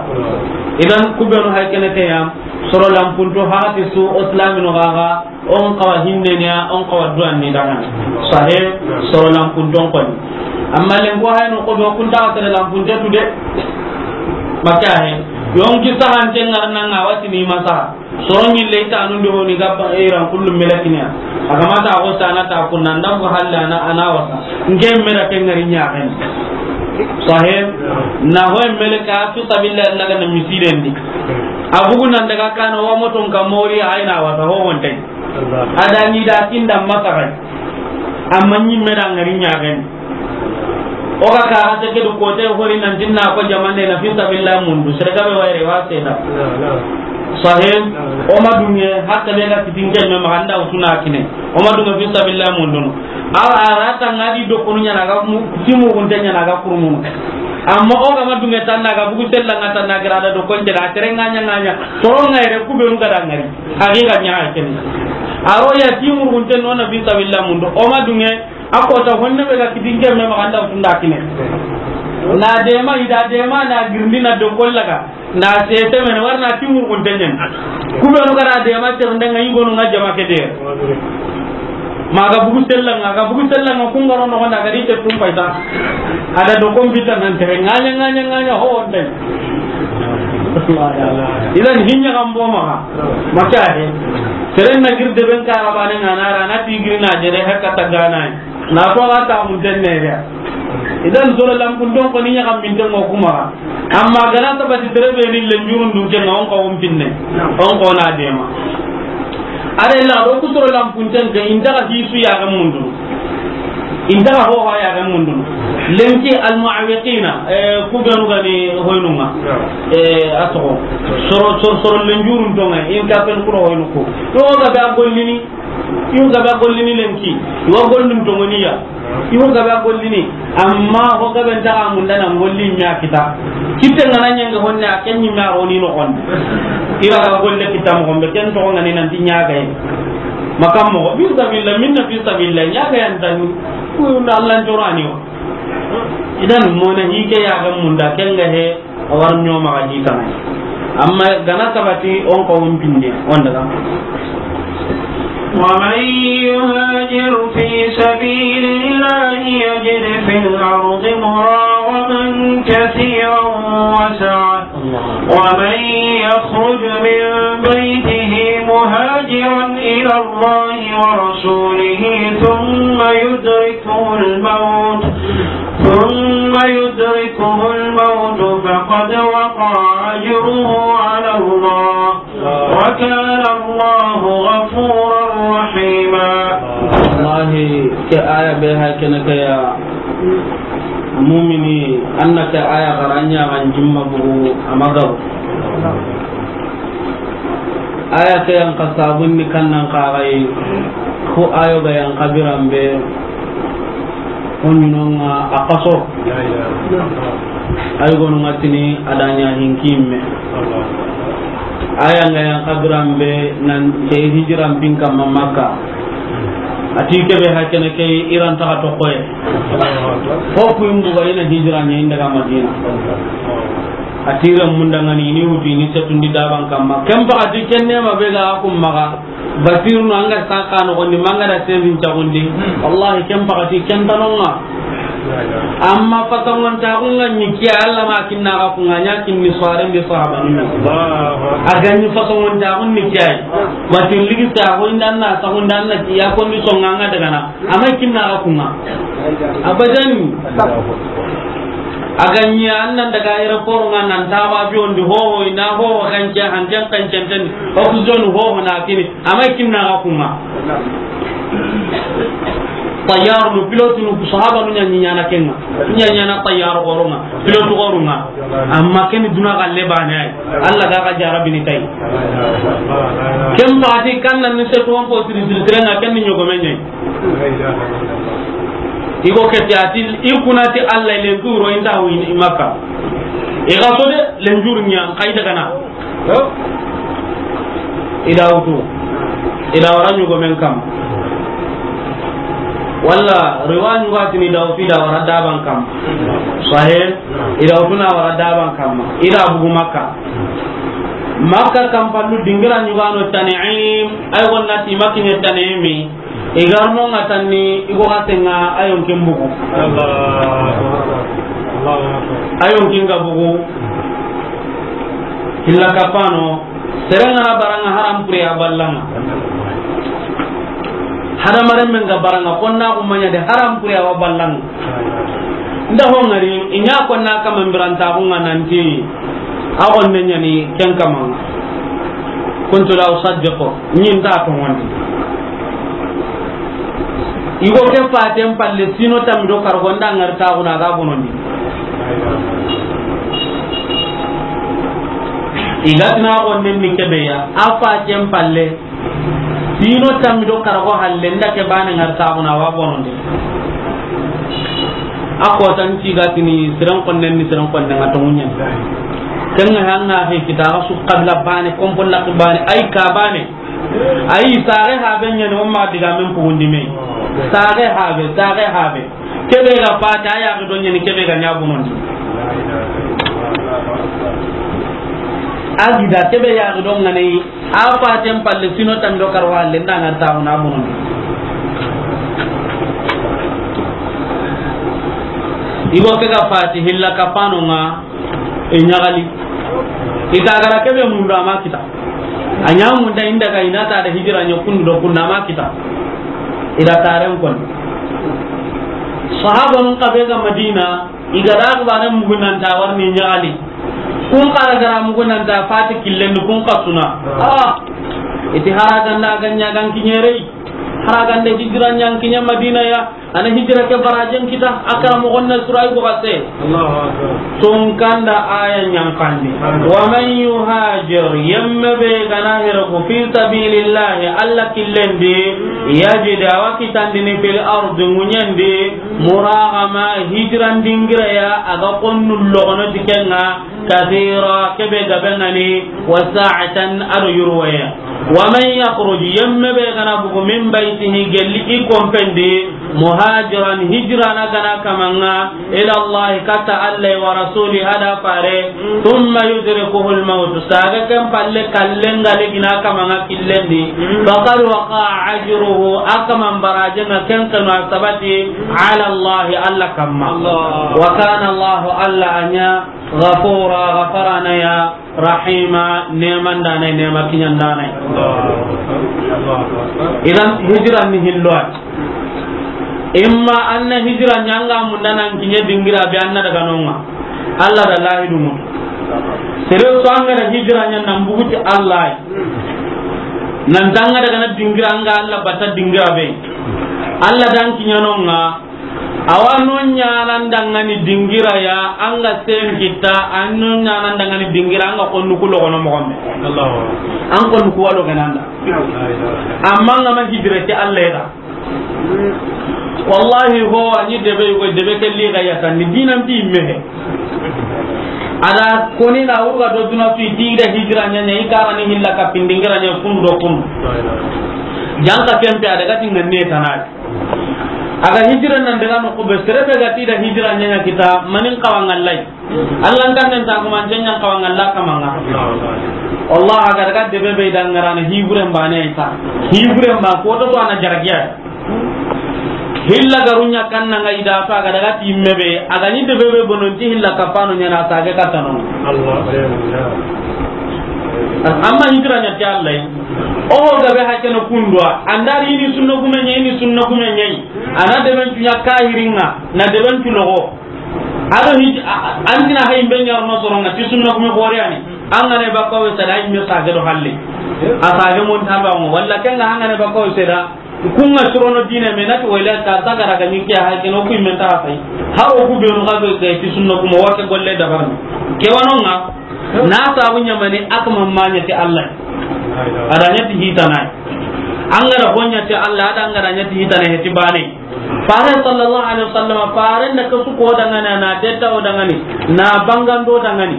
Idan ku benu hay kene ke ya, soro lampunto hati su o silaminu ga ga, on xawa hinne ne ya, on xawa duwan ni dangan. Sahe, soro lampunton koni. Amma len ko hay no ko do kun ta sere lampunte tu de. Maka he. Yon ki sahan te ngar nan ga wati ni masa. Soro ɲille i tanu ndi honi gabba iran kullu melakiniya. A ga mata ko sana ta kunna ndam ko halla na ana wasa. Nge mera ke ngari ɲaxen. Sahe, na ho melaka fi sabilillah na ga na misiren di. A bugu nan daga kana wa moton ka mori ay na wasa ho wonte. Ada ni da kinda masa kai. Amma ɲi mera ngari ɲaxen. O ga ka hase ke du kote hori nan tinna ko jamane na fi sabilillah mundu. Sere gabe wayre wa sena. Sahe, o ma dunge, hatta be ga kitin ke me ma anda utuna kine. O ma dunge fi sabilillah mundu. Awa, a rata ngadi do kunu ɲana ga mu, timu gunte ɲana ga kurumunu. Amma o ga ma dunge tanna ga bugu sella nga tanna gira da do konje da tere nganya nganya. Soro ngayre ku benu ga da ngari. Haqiqa ɲa kene. Aro ya timu gunte no na fi sabilillah mundu. O ma dunge, a ko ta honne be ga kitin ke me ma anda utunda kine. Na dema, ida dema na girndi na do kollaga. Na sese men warna timur kun tenyen. Ku benu ga da dema te ndanga i gonu nga jama ke de. Ma ga bugu sella nga, ga bugu sella nga kun garo no na ga di te tum paita. Ada do computer nan tere nganya nganya nganya ho ndai. Idan hinya gambo ma. Maka he. Seren na girde ben ka rabane nga na ra na tigiri na jere hakka tagana. Na ko ga ta mun tenne ya. Idan soro lampun don ko ni ɲaxam min tengo kuma. Amma gana sabati tere be ni lenjurun dun ke nga on ko on pinne. On ko na dema. Are la do ku soro lampun ten ke inda ga hisu ya ga mundu. Inda ga ho ya ga mundu. Lenki al muawiqina, eh, ku benu gani hoynunga. Eh, ato. Soro, soro, soro lenjurun tonga, in ka pen kuro hoynu ko. To ga be a gollini. Iwo gabe a gollini lenki, iwa gollun tongoniya. Iwo gabe a gollini, amma ho gabe ntaxa munda na golli ɲa kita. Kitte ngana ɲenge honne a ken ɲimme a roni no honne. Ira ga golle kita mo gombe ken to ngani nan ti ɲa ga yi. Makam mo fi sabilillah, minna fi sabilillah, ɲa ga yan tan. Ku na Allah jorani wa. Idan mona hike ya ga munda ken ga he. A war ɲoma ga di kana. Amma gana sabati on ko on pinne on daga. ومن يهاجر في سبيل الله يجد في الأرض مراغما كثيرا وسعة. ومن يخرج من بيته مهاجرا إلى الله ورسوله ثم يدركه الموت ثم يدركه الموت فقد وقع أجره على الله وكان الله غفورا رحيما. Wallahi, ke aya be ha kene ke ya mumini, anna ke aya garanya kan jimma bugu amagaw. Aya ke yan ka sabun ni kannan ka gai ko ayo ga yan kabiran be. Ko ɲinonga a kaso. Ay gonu nga tini adanya hinkimme. Aya nga yan kabiran be nan ke hijiran bin kamma Makka. Ati kebe hakene ke iran ta to koye. Ko ku imbu ga ina hijira nya inda ga Madina. Ati ran munda ngani ni wuti ni setundi daban kamma. Kem ba ati kenne ma be ga akum maga. Basirunu an ga saka no gondi manga da sendin tagundi. Wallahi ken pakati ken tanonga. Amma fasangontaxu nga ni kiya, Allah ma kinna ga ku nga ɲa kinni soiren be sahaba ni. A ga ni fasangontaxu ni kiya. Basir ligi ta ko inda na ta ko inda na ya ko ni songa nga daga na. Amma kinna ga ku nga. Abadan. A ga ɲi an nan daga aéroport nga nan ta ba bi on di ho ho ina ho ho kan ke han jan kan jan tan. Oxygène ho ho na kini. Amay kinna ga ku nga. Tayyar nu, pilote nu, sahaba nu ɲa ɲi ɲana ke nga. Ɲa ɲana tayyar goro nga, pilote goro nga. Amma ken duna ga lebane ay. Allah ga ga jarabi ni tay. Ken pakati kan nan ni se to ko siri siri siri nga ken ni ɲogo me ɲe. Igo ke ti ati, i kuna ti Allah len turo inta wi Makka. I ga so de len jur ɲa kay daga na. I da wutu. I da wara ɲugo men kam. Walla riwa ɲugatini daw fi da wara daban kam. Sahe, i da wutuna wara daban kam. I da bugu Makka. Makka kam pallu dingira ɲugano Tan'im, ay wonna ti makiɲe Tan'imi. I garno nga tanni, i go gatenga, ayon kin bugu. Ayon kin ga bugu. Hilla kapano. Serengana baranga haram puri a ballanga. Hadamaren men ga baranga konna kumanya de haram puri a wa ballanga. Nda hongari inya konna kama mbiranta kunga nanti a gonne nyani ken kama. Kuntu la usaddiqu, nyin ta to wandi. Igo ke faten palle sino tammi do kargo nda ngar ta kuna ga bonondi. Igatina gonne ni kebeya a faten palle. Sino tammi do karago halle nda ke bane ngar ta kuna wa bonondi. A ko tan ci ga tini siran konnen ni siran konnen a to munyan. Kan hanga he kita ga su qabla bane kompon la bane ay ka bane. Ay sare habe nyani umma diga men pugundi me. Sare habe, sare habe. Kebe ga fata ya ga don nyani kebe ga nyabunon. Agida kebe ya ga don ngani. A faten palle sino tammi do karwa le nda ngar ta na bonon. Igo ke ga fati hilla kapano nga e nyagali. Ita gara kebe mundu ama kita. Anya munda inda ga ina ta da hijira nya kundu do kundu ama kita. Ida taren kon. Sahaba nun kabe ga Madina. Igara akbare mugunanta warni nyagali. Kun kara gara mugunanta fati killen kun kasuna. Ah. Iti haraganda ganya gan kinyerei. Haraganda hijira nyan kinya Madina ya. Ana hijira ke barajen kita akara mo gonna surai bugase. Allahu akbar. Tun kanda aya nyan kandi. Wa man yuhajir, yemme be gana hira ko fi sabilillah, Allah killendi, yajid awa kitandini fil ardi, munyandi, muragama, hijran dingira ya, aga konnu logono tikenga, kathira, kebe gabengani, wa sa'atan, ado yurwaya. Wa man yakhruj, yemme be gana bugu min baytihi, gelli i kompendi, muhajiran, hijrana gana kamanga, ila Allah, kata Allah wa rasuli, hada fare, thumma yudrikuhu al-maut, saga ken palle kallenga legina kamanga killendi, faqad waqa ajruhu, akaman barajenga ken kanu sabati, ala Allah, Allah kamma. Allah. Wa kana Allah, Allah anya, ghafura, ghafarana ya, rahima, neman danai, nema kinyan danai. Idan hijran ni hilloa. Imma anna hijra nyanga munda nan kinye dingira be anna daga nonga. Allah da lahidu mu. Sere so anga da hijra nyan nan buguti Allah. Nan tanga daga na dingira anga Allah bata dingira be. Allah dan kinyanonga. Awa no ɲanan dangani dingira ya, an ga sen kita, an no ɲanan dangani dingira, an ga konnu ku logono moxo be. Allahu. An konnu ku walo gananda. Amma an ga ma hijira ti Allah ya. Wallahi ho, a ni debe ko debe ke li ga ya tan, ni dinan bi mehe. Ada koni na urga do duna tu ti da hijira ɲa ɲa, i kara ni hilla ka pindingira ɲa kundu do kundu. Janka kempe ada ga tinga ne tanai. Aga hijira nan daga no kube, sere be ga ti da hijira ɲa ɲa kita, manin kawa ngallai. Allah kan nan ta kuma jan ɲan kawa ngalla kamanga. Allah aga daga debe be dan ngarana hiburen bane ita. Hiburen ba ko to ana jaragiya. Hilla garunya kan nan ga ida to aga daga ti mebe, aga ni debe be bonon ti hilla kapano ɲa na ta ga katano. Allah. Amma hijira ɲa ti Allah. O gabe hakeno kundwa, andari ni sunna gume ɲa, ni sunna gume ɲa. Ana deben tunya kahiringa, na deben tulogo. Ado hiji, a-, a-, antina hay ben yar no soronga, ti sunna kuma bore ani. Angane bakawe sada imme sage do halle. A sage mon tamba mo, walla kenga angane bakawe sada. Kunga surono dine me nati wala ka tagara ga nyiki ha keno ku imme ta sai. Haro ku be no ga be ti sunna kuma wake golle dabarni. Ke wanonga, na sabu ɲamani akma manya ti Allah. Adanya ti hitana. Angara honya ti Allah, ada angara nya ti hitana heti bane. Fare sallallahu alaihi wasallam, fare na kasu ko dangana na detta o dangani, na bangando dangani.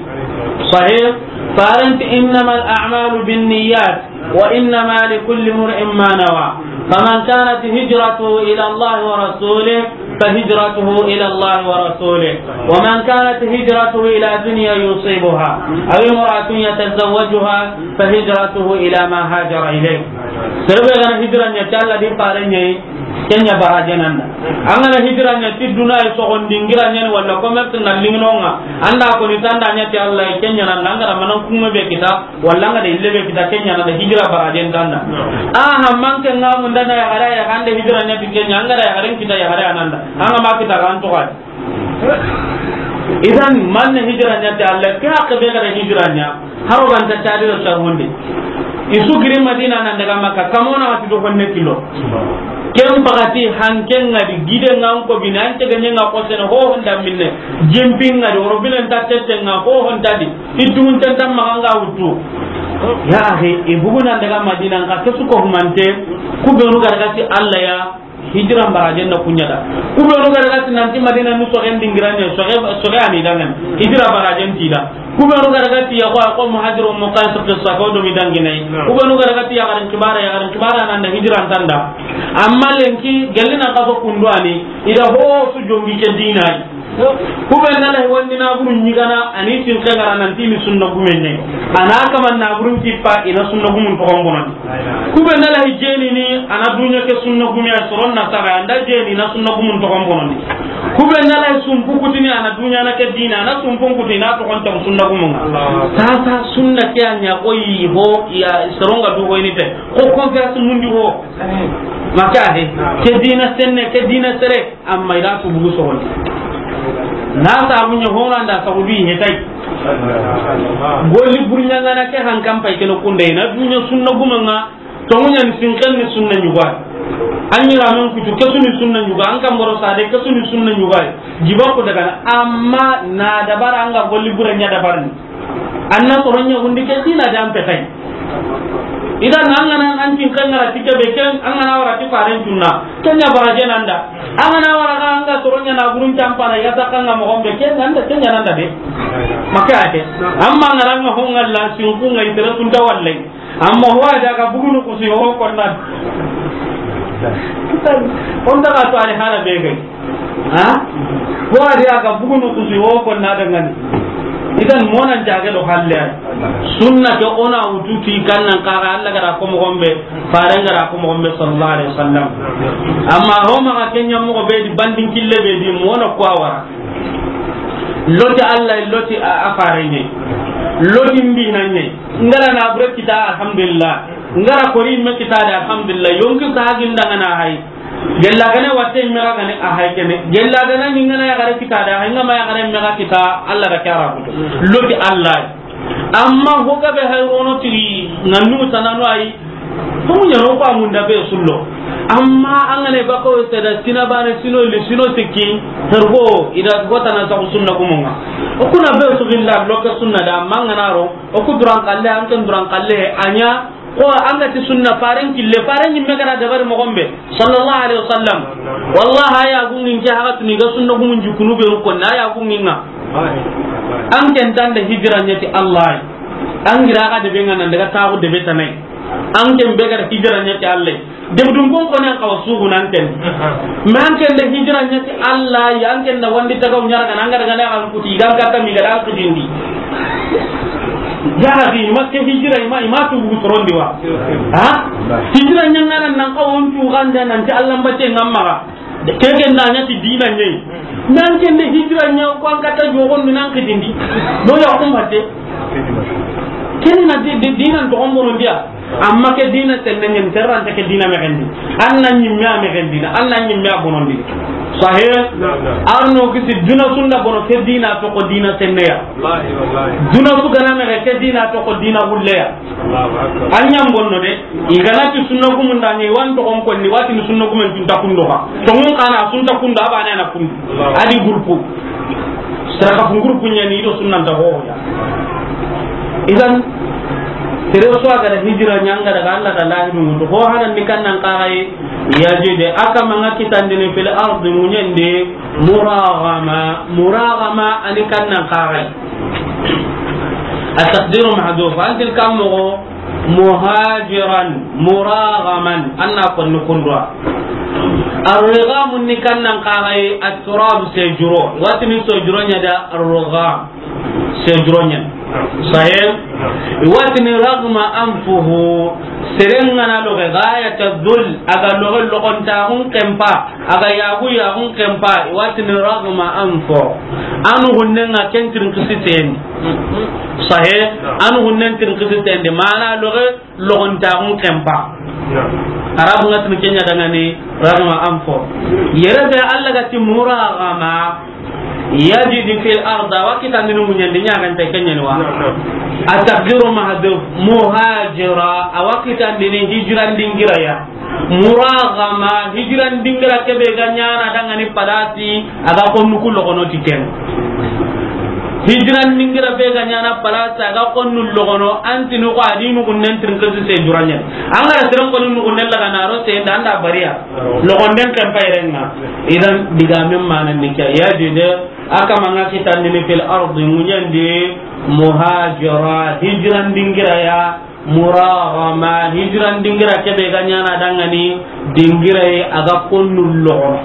Sahih, fare ti innamal a'malu binniyat wa innama likulli imri'in ma nawa. فمن كانت هجرته إلى الله ورسوله فهجرته إلى الله ورسوله، ومن كانت هجرته إلى دنيا يصيبها أو امرأة يتزوجها فهجرته إلى ما هاجر إليه. Sere be ga na hijira ɲa ti Alla do faaren ɲa yi, ken ɲa barajen da. An ga na hijira ɲa ti duna yi soxondi, n gira ɲa ni walla commerce na liŋi no ŋa, an da ko ni tanda ɲa ti Alla, ken ɲa na an ga na manan kume be kita, walla an ga da yille be kita, ken ɲa na da hijira barajen da. A ha, manke ŋa munda na yaxare ya, an da hijira ɲa ti ken ɲa, an ga da yaxaren kita, yaxare ya na an da. An ga ma kita ga an toxo a di. Idan, man na hijira ɲa ti Alla, ke haqqe be ga da hijira ɲa, haro ga nta tadi do sarhonde. I su giri Madina nan daga Makka, kamo na ti do honne kilo. Ken bagati hanken ŋa di, gide ŋa n ko bini, an tege ɲa ŋa ko sene ho honda minne. Jimpin ŋa di, woro bilen ta tete ŋa ho honda di. I duŋun tenta maxa ŋa wutu. Ya akhi, i bugu nan daga Madina, n ka ke su ko humante, ku be nu ga daga ti Alla ya, hijira barajen na ku ɲa da. Ku be nu ga daga ti nanti Madina nu soxen dingira ɲa, soxe, soxe ani dangan. Hijira barajen ti da. Ku be nu ga daga ti ya ko, ko muhajiru muqaysa qissa ko do mi danginai. Ku be nu ga daga ti yaxaren kibara, yaxaren kibara nan da hijira tanda. Amma lenki, gelli nan ka so kundu ani, i da ho su jongi ke dina yi. Ku be na lahi wandi na buru ɲigana, ani tin kengara nan ti ni sunna gumen ne. Ana kaman na burun kippa, i na sunna gumun toxon bonondi. Ku be na lahi jeni ni, ana dunya ke sunna gumen ya soron na saga, an da jeni na sunna gumun toxon bonondi. Ku be na lahi sumpu kutini, ana dunya na ke dina, ana sumpun kutini, na toxon ta sunna gumun. Sasa sunna ke anya koyi ho, ya soron ga du ho ini te. Ko confiance mundi ho. Maka he, ke dina senne, ke dina sere. Amma i da su bugu soxondi. Na sabu ɲa hona nda sabu du i hetay. Golli burɲangana ke hankan pay keno kunde na dunya sunna gumen ŋa. Tonguɲa ni sinken ni sunna ɲuga. An yiramen kutu ke su ni sunna ɲuga. An kamboro sade ke su ni sunna ɲuga. Jiba ku daga na, amma na dabara an ga golli burɲa dabarni. An na soronya gundi ke dina dan petay. Idan an ga na an tin kan ngara tike be ken, an ga na wara ti faaren tunna. Ken ɲa barajen da. An ga na wara ga an ga soronya na gurun tampana ya ta kan ga mo gombe ken nan da, ken ɲa nan da de. Maka ake. Amma ngara nga ho ngalla sin ku ngai tere tunta wallahi. Amma ho a da ga bugunu kusi ho konna. On da ga to ale hala be gai. Ha? Ko a da ga bugunu kusi ho konna da ngani. Idan monan jage do halle. Sunna ke ona wututi kannan kaga Alla ga da ko mo gombe, faaren ga da ko mo gombe sallallahu alaihi wasallam. Amma ho ma ga ken ɲa mo be di bandin kille be di mona ko awara. Loti Alla, loti a, a faaren ɲa. Loti mbi nan ɲa. Ngara na bure kita, alhamdulillah. Ngara kori me kita da, alhamdulillah. Yonki sahagin da ngana hay. Gella gane watte me ga gane a hay kene. Gella gane ni ngana ya gare kita da, hay ngama ya gare me ga kita, Alla da kara kuto. Loti Alla. Amma ho ga be hay rono tigi, ngannu tanano ay. Ko ɲa no ko amunda be sullo. Amma an ga ne bako te da sina bane sino li sino sikki. Tergo, i da go tana sa sunna gumun ŋa. O kuna be su billa lo ke sunna da mangana ro. O ku duran kalle, an ken duran kalle, anya, ko an ga ti sunna faaren kille, faaren ɲi me ga na dabari mo gombe, sallallahu alaihi wasallam. Wallahi, aya gungin ke haga tuni ga sunna gumun jukunu be ko na aya gungin ŋa. An ken tanda hijira ɲa ti Alla. An gira ga de be ngana daga tawo de be tanai. An ken be ga hijira ɲa ti Alla. Debdun bon ko nan kawa sugu nan ken. Mais an ken da hijira ɲa ti Alla, ya an ken da wandi tagaw ɲara ga nan ga daga na an kuti, i ga an kata mi ga da an kutindi. Ya Rabbi, ma ke hijira, i ma, i ma tu bu sorondi wa. Ha? Hijira ɲa ngana nan kawa on tu ganda nan ti Alla mbate ngamma ga. Ke ken da ɲa ti dina ɲa. Mais an ken da hijira ɲa ko an kata jogon mi nan kutindi. Do ya ko mbate. Ken na di, di, dina to on bono dia. Amma ke dina senne ɲen terrante ke dina mexendi. An na ɲimme a mexendina, an na ɲimme a bonondini. Sahe? Naam, naam. Arno kisi duna sunda bono ke dina to ko dina senneya. Wallahi, wallahi. Duna su gana mexe ke dina to ko dina hulleya. Allahu akbar. An ɲam bonno de, i gana ti sunna gumun da ɲi wan to on konni wati ni sunna gumen tun ta kundo ha. To mun kana sun ta kundo abane na kundo. Allahu akbar. Adi groupe. Sara ka funguru kunya ni do sunna ta ho ya. Idan, tere su a ga da hijira ɲa nga daga Alla da lahidu mutu. Ho hanan ni kannan kagai, ya je de, aka manga kitandini fil ardi muɲende, muragama, muragama ani kannan kagai. A taqdiru mahdhuf, antil kam mogo, Muhajiran, muragaman, an na konni kundwa. Arrigamu ni kannan kagai, atturab, sejuro. Watini sojuro ɲa da arrigam. Sejuro ɲa. Sahih? Watini ragma anfuhu. Serengana loge gayata dhul, aga loge logontaxun kempa, aga yaxu yaxun kempa, watini ragma anfo. Anu hunnenga ken tirin kisi tendi. Sahih? Anu hunnen tirin kisi tendi. Mana loge logontaxun kempa. Arabu nga tini kenya dangani ragma anfo. Yere be Allah ga ti muragama, yajidi fil ard, a wa kitandini muɲandi ɲagante kenya ni wa. Ataqdiru mahdhuf, muhajira, a wa kitandini hijran dingira ya. Muragama, hijran dingira kebe ga ɲana dangani palasi, a ga konnu ku logono ti ken. Hijran dingira be ga ɲana palasi, a ga konnu logono, antinu ko adinu gunnen tirin kisi sejuro ɲa. An ga ra tirin koni nugunnen laga na ro se nda anda bariya. Logonden kan payrenga. Idan digamen mana ni kya. Yajidi, a kama nga kitandini fil ardi, muɲandi, muhajira, hijran dingira ya, muragama, hijran dingira kebe ga ɲana dangani, dingira ye a ga konnu logono.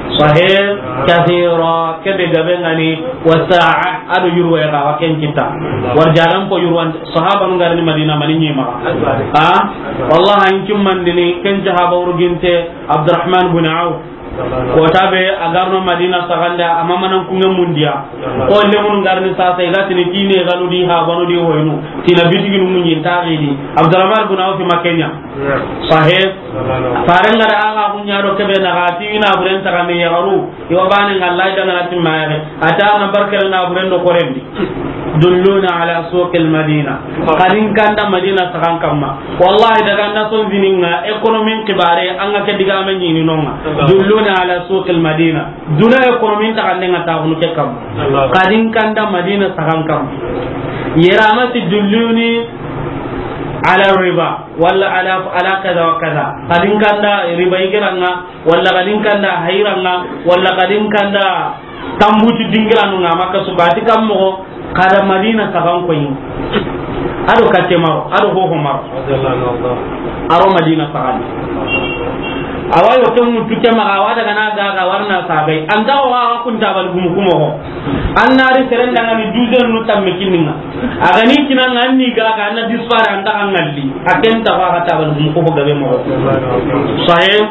Sahih, kathira, kebe gabe ngani, wa sa'a, ado yurwa ya ga wa ken kita. War jaran ko yurwan, sahaba nu ngarni Madina mani ɲima. Ha? Wallahi, in kimmandini, ken sahaba urginte, Abdurrahman bin Auf. Kota be a garno Madina saxande, a ma manan kunŋe mundiya. Ko lemunu ngarni sasa, i ga tini tine ganu di ha banu di hoynu. Tina bitiginu munyi taxidi. Abdurrahman bin Auf ma kenya. Sahih. Farenga da aga kunya do kebe na ga ti ina buren saxande ya garu. Iwa bane ngalla da ngana timma ya. Ata na barkal na buren do korendi. Dulluna ala suqil Madina. Kadin kanda Madina saxan kamma. Wallahi, daga na son zininga, économie kibare, an ga ke digame ɲini nonga. Dulluna ala suqil Madina. Duna économie ta kande nga ta hunu ke kamma. Kadin kanda Madina saxan kamma. Yera ma ti dulluni ala riba, wala ala, ala kaza wa kaza. Kadin kanda riba igiranga, wala kadin kanda hayranga, wala kadin kanda tambuti dingiranu nga Makka suka, ati kam moxo, kada Madina saxan koyi. Ado kacce maro, ado hoho maro. Aro Madina saxan. Awa yo ken mutu ke maxa, awa daga na ga ga warna sagai. Anta o ga kun tabal gumu kumo ho. Annari serenda ngani douzaine nu tamme kininga. A ga ni kinanga anni ga ga na dispara anta ngalli. A ken ta ga tabal gumu ko gabe mo. Sahih.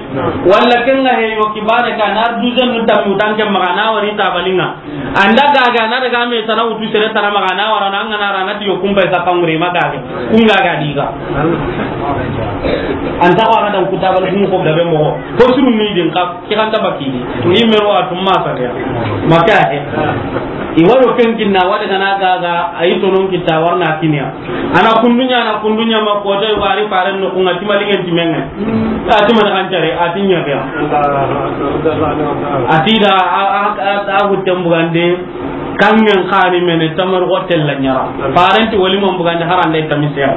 Wala ken nga he yo kibare ka na douzaine nu tamme utanke maxa na wari tabalinga. Anda gaga na daga me tana wutu sere tana maxa na wara na ngana rana ti yo kumba sa kangure ma gaga. Kun gaga diga. Anta wa na dan kutabal kun ko gabe mo. Ko suru ni din ka ki kan ta bakini. Ni mero atum ma sa ya. Maka he. I waro ken kinna wada kana gaga ayi tonon kita warna kiniya. Ana kundunya, ana kundunya ma ko dai wari faran no kunga timalingen timenga. A ti mana kan tare, a ti ɲa ya. A ti da, a, a, a, a hutten bugande, kangen xani mene tamar hotel la ɲara. Parenti wali mon bugande harande tamisiya.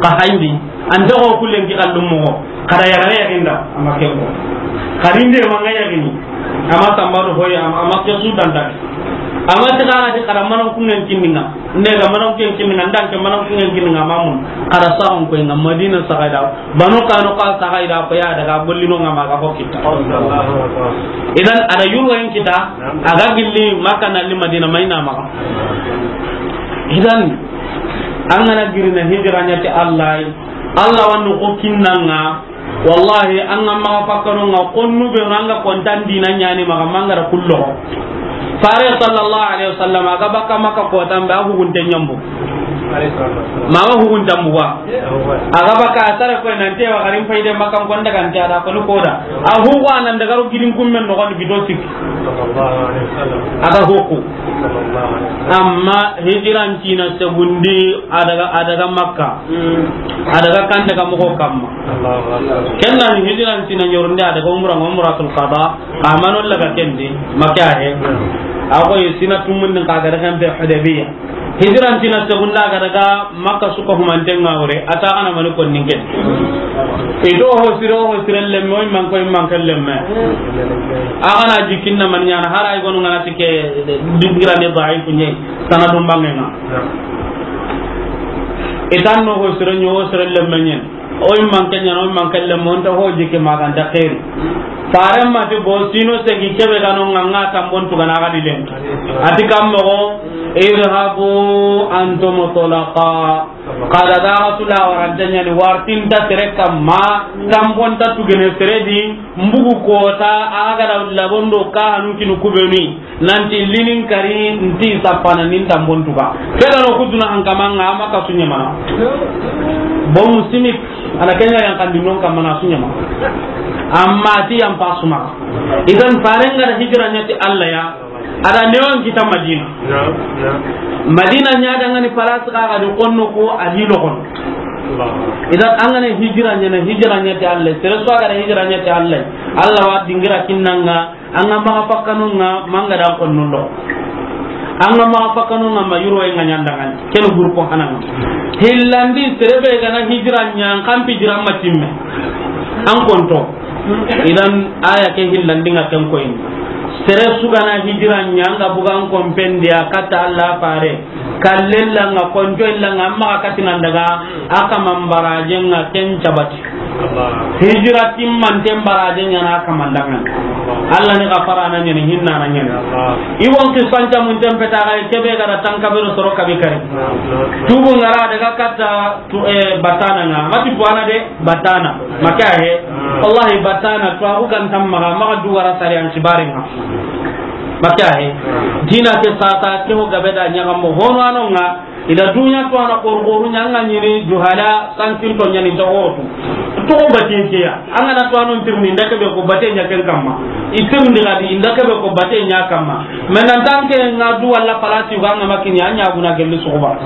Ka hayndi, an dogo kullen ki kallum mo. Kada yagare yaginda, ama kembo. Karinde manga yagini. Ama sambaro hoy, ama, ama ke su danda. Ama ti kana ti kada manan kungen kinninga. Nde ga manan kungen kinninga, ndan ke manan kungen kinninga mamun. Kada saxon ko nga Madina saxaida. Banu Qaynuqa saxaida ko ya daga bollino nga maga ko kita. Idan ada yurwa in kita, aga gilli Makka na li Madina mayna maga. Idan an gana girina hijra ɲa ti Allah. Allah wanu ko kinnanga. Wallahi, an ga maxa fakkano nga konnu be nga kontan dina ɲani maxa mangara kullo. Fare sallallahu alaihi wasallam, aga baka Makka kotan be, a hugunte ɲambu. Ma ga hugunta mbuga. Aga baka a sare ko nan te wa garin fayde Makka kon daga nta da ko koda. A hugu anan daga ro gidin kummen no gon bido sik. Aga huku. Amma hijran tina segundi a daga, a daga Makka. A daga kan daga moxo kamma. Kenna ni hijran tina ɲorunde a daga umra, umratul qada. Amano laga kendi Makka he. A ko sina tumun din ka daga kan be Hudaybiya. Hijran tina segunda ga daga Makka suka humanten nga wure, a ta kana mani kon ninge. Ido ho siro ho sire lemme, o man ko man kan lemme. A kana jikinna man ɲana, hara ay gonu ngana tike dingira ne daif ɲe, sanadum bangenga. I tan no ho sere ɲo, ho sere lemme ɲen. O i manke ɲana, o i manke lemme, o nta ho jike maganta xeeri. Fare ma ti bo sino segi kebe ga no ŋa, ŋa tambon tugana ga di len. A ti kam moxo, idhabu antum tulaqa. Kada daga tula warante ɲani, wartinta sere kamma, tambonta tugene sere di, mbugu kota, a ga da labondo ka hanu kinu kubeni. Nanti linin kari nti sapana nin tambon tuga. Ke ga no kutuna hankamanga ama ka sunya mana. Bon musimik ala kenya yang kandi non kamana sunya mana. Amma ti yang pasuma. Idan farenga da hijra ɲa ti Allah ya. Ada newan kita Madina. Madina ɲa da ngani palas ka ga di konno ko a hilo kon. Idan an ga na hijra ɲa na hijra ɲa ti Allah. Sere so ga da hijra ɲa ti Allah. Allah wa dingira kinnanga. An ga maxa fakkanun ŋa manga da konnundo. An ga maxa fakkanun ŋa ma yuro en ŋa ɲandangani. Ken gurko hanan. Hillandi sere be ga na hijra ɲa, an kan pi hijra ma timme. An konto. Idan aya ke hillandi ŋa ken koyin. Sere su ga na hijra ɲa, an ga bugan kompendiya kata Allah fare. Kallella ŋa, konjo illa ŋa, amma ka katina daga, a kaman barajen ŋa ken cabati. Hijira timmanten barajen ɲana a kaman dangan. Allah ni gafara na ɲani, hinna na ɲani. I won kisan camunten peta ga kebe ga da tanka be soro kabi kari. Tubu ŋa ra daga kata tu, eh, batana ŋa. Mati tuwana de batana. Maka he. Wallahi batana tuwa ku kan tamma ga, maga duwara sari an sibare ŋa. Maka he. Dina ke sasa ke ho gabe da ɲaga mo hono ano ŋa. Ida dunya to ana korkoru ɲanga ɲini juhala sankin to ɲani ta otu. To ko batin ke ya. An ga na to anon tirni nda ke be ko bate ɲa ken kamma. Itirni ga di nda ke be ko bate ɲa kamma. Men nan tan ke nga du wala palati ga nga makini anya guna gelli soba.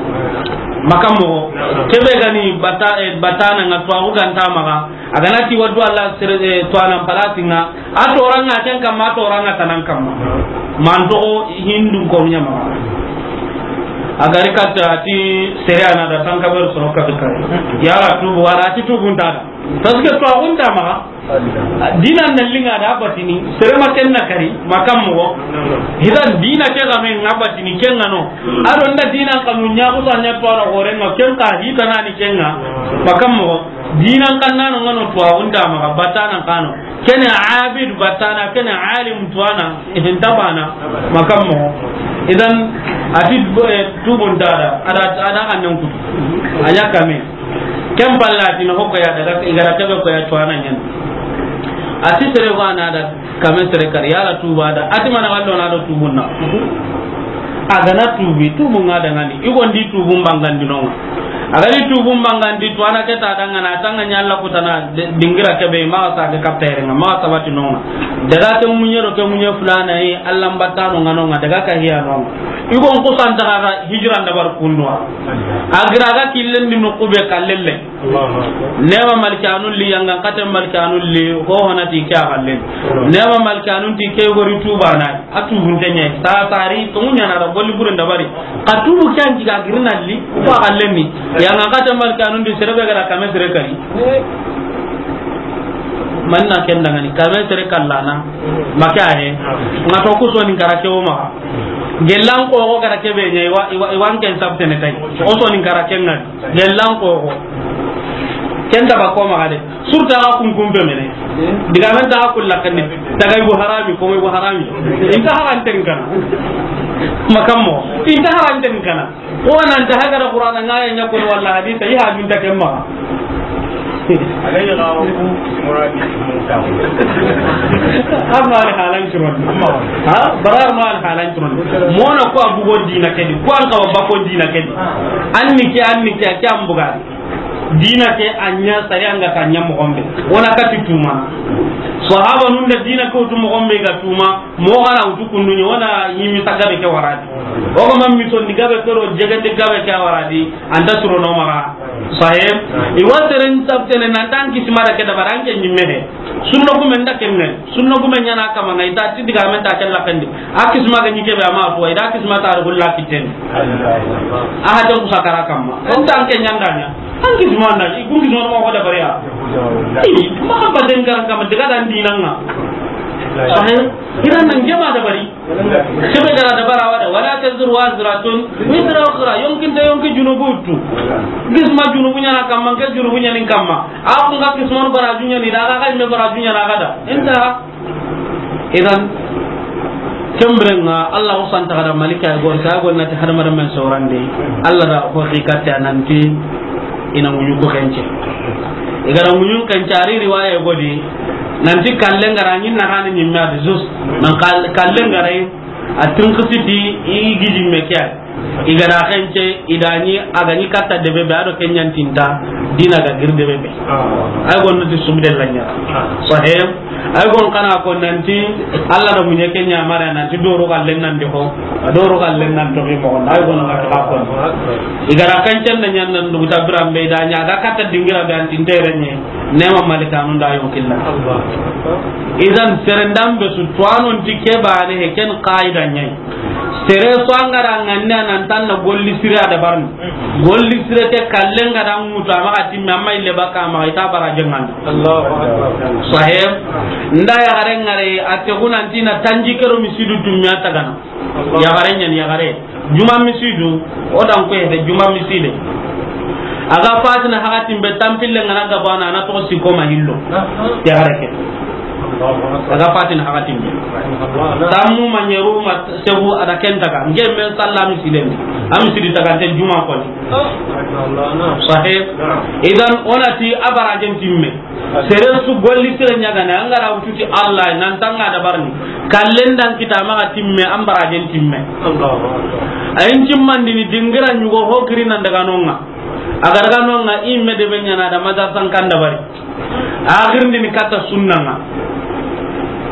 Makam mo. Kebe gani bata, eh, batana nga to agu ganta maga. A ga na ti wadu Allah sere, eh, to anan palati nga. A toranga ken kamma, a toranga tanan kamma. Man toxo hindu ko ɲama. A gari katta ti sere ana da tanka ber soro ka kare. Yara tubu wala ti tubun ta. Parce que to agun ta maga. Dina na linga da batini, sere ma ken na kari, makam mo. Hidan dina ke ga men nga batini ken ngano. A do nda dina kanu ɲa ko sa ɲa to ala gore ma ken ka hita nani ken nga. Makam mo. Dinan kannano ngano to agun ta maga batana kano. Kene abid batana, kene alim tuwana, ihin tabana, makam mo. Idan, ati, eh, tubun dada, ada, ada kannen kutu. Anya kame. Ken pallati no hokko ya daga, igara kebe ko ya tuwana nyen. Ati sere wana da, kame sere kar, yala tuba da, ati mana wallo na do tubun na. A ga na tubi, tubun nga dangani. I gondi tubun bangandi nonga. A ga ni tubun bangandi, to ana ke ta dangana, tanga ɲa Allah kutana, de-, dingira kebe, ma sa ke kaptere nga, ma sabati nonga. Daga ke munye ro ke munye fulana yi, Allah mbatano nga nonga, daga ka hiya nonga. I gon kusan ta ga hijran da bar kundwa. A gira ga killen di no kube kallelle. Allahu Akbar. Nema malkanun li, yanga kate malkanun li, ho hona ti kya kallen. Nema malkanun ti ke gori tubana. A tubunte ɲa, ta tari, to ɲa na da golli buren da bari. Ka tubu kyan ki ga girna li, ko a lemi. Yanga kate malkanun di sere be ga da kame sere kari. Manna ken dangani, kame sere kallana. Maka he. Nga to ku sonin kara ke o ma. Gellan ko ko kara ke be ɲa, iwa, iwa, iwan ken sabtene tay. O sonin kara ken ngani. Gellan ko ko. Ken da ba ko ma ga de. Surta ga kun kun be mene. Diga men ta ga kulla kan ni. Tagay bu harami, ko bu harami. Inta haran ten kana. Makam mo. Inta haran ten kana. Ko nan ta haga da Qur'ana nga ya ɲa ko wala hadisa, i ha dun ta kemma. Alayhi gawo muradi. Amma al halan kiron. Ha? Barar ma al halan kiron. Mona ko abu go dina kedi. Ko an ka ba ko dina kedi. Anni ke, anni ke, ke ambuga. Dina ke a ɲa sariya nga ta ɲa moxo be. Wona kati tuma. Sahaba nun da dina ko tu moxo be ga tuma, mo gara utu kundu ɲa, wona yimi ta gabe ke waradi. O ga mammi to ni gabe ko ro jegende gabe ke waradi, anda suro no mara. Sahib, i wa seren sabtene nan tan kismara ke da baranke ɲimme he. Sunna gumen da kemme. Sunna gumen ɲana kama ngai ta ti diga men ta kella kandi. A kisma ga ɲike be ama to, ida kisma ta rulla kiten. A ha tan ku sakara kamma. En tan ke ɲanda ɲa. An kisma na, i kun kisma ma ko da bariya. Ei, ma ba den garan kama diga dan dinanga. Sahih. Idan nan jama dabari. Sebe gara dabara wada, wala taziru waziratun wizra ukhra. Yonkin ta yonki junubu tu. Kisma junubu ɲana kamma, ke junubu ɲani kamma. A kun ga kismanu baraju ɲani da, a ga me baraju ɲana ga da. Inta. Idan, kembirenga, Allah o santa kada malika ya gor, sa gor nati hadamaren men sorande. Allah da ko xikati nanti ina muɲu ko kence. Igara muɲun kence, ari riwaya godi nanti kallen gara ɲin na hani ɲimme adi zus. Nan kal-, kallen gara a tinqisiti i gidi me kya. Igara kence idani agani katta debe be ado kenyan tinta dina ga gir debe be. Ay gon nati sumde lanya. Sahih. Ay gon kana ko nanti Allah da muɲe kenya mara nanti doro kallen nan de ko. Doro kallen nan to mo. Ay gon ka to ko. Igara kence nan yan nan du tabira be da ɲa ga katta dingira be antin terenye. Nema malikanu nda yo killa. Idan serendam be su tuwanon ti ke bane he ken qaida ɲai. Sere so angara nganne nan tan na golli sire a dabarni. Golli sire ke kallen ga da ŋutu a maxa timme amma ille baka maxa ita bara jenganda. Allahu akbar. Sahih. Nda ya gare ngare a te gunantina tanji kero misidu dunya tagana. Allahu. Ya gare ɲan ya gare. Juma misidu, o dan ko hede juma miside. Aga fatina hakatin be tampille ngana gabana na to siko ma hillo. Ya gare ke. Aga fatina hakatin be. Tammu manyeru ma sebu ada kentaga. Nge men salla misilen. Am sidi taga te juma ko. Sahih. Idan onati abara jen timme. Sere su golli sere ɲagana, angara wututi Allah, nan tanga dabarni. Kallen dan kita maxa timme, an barajen timme. Allahu akbar. Ayin timmandini dingira ɲugo ho kiri nan daga nonga. Aga daga nonga, imme de be ɲana da madrasan kan dabari. Akhirindini katta sunnanga.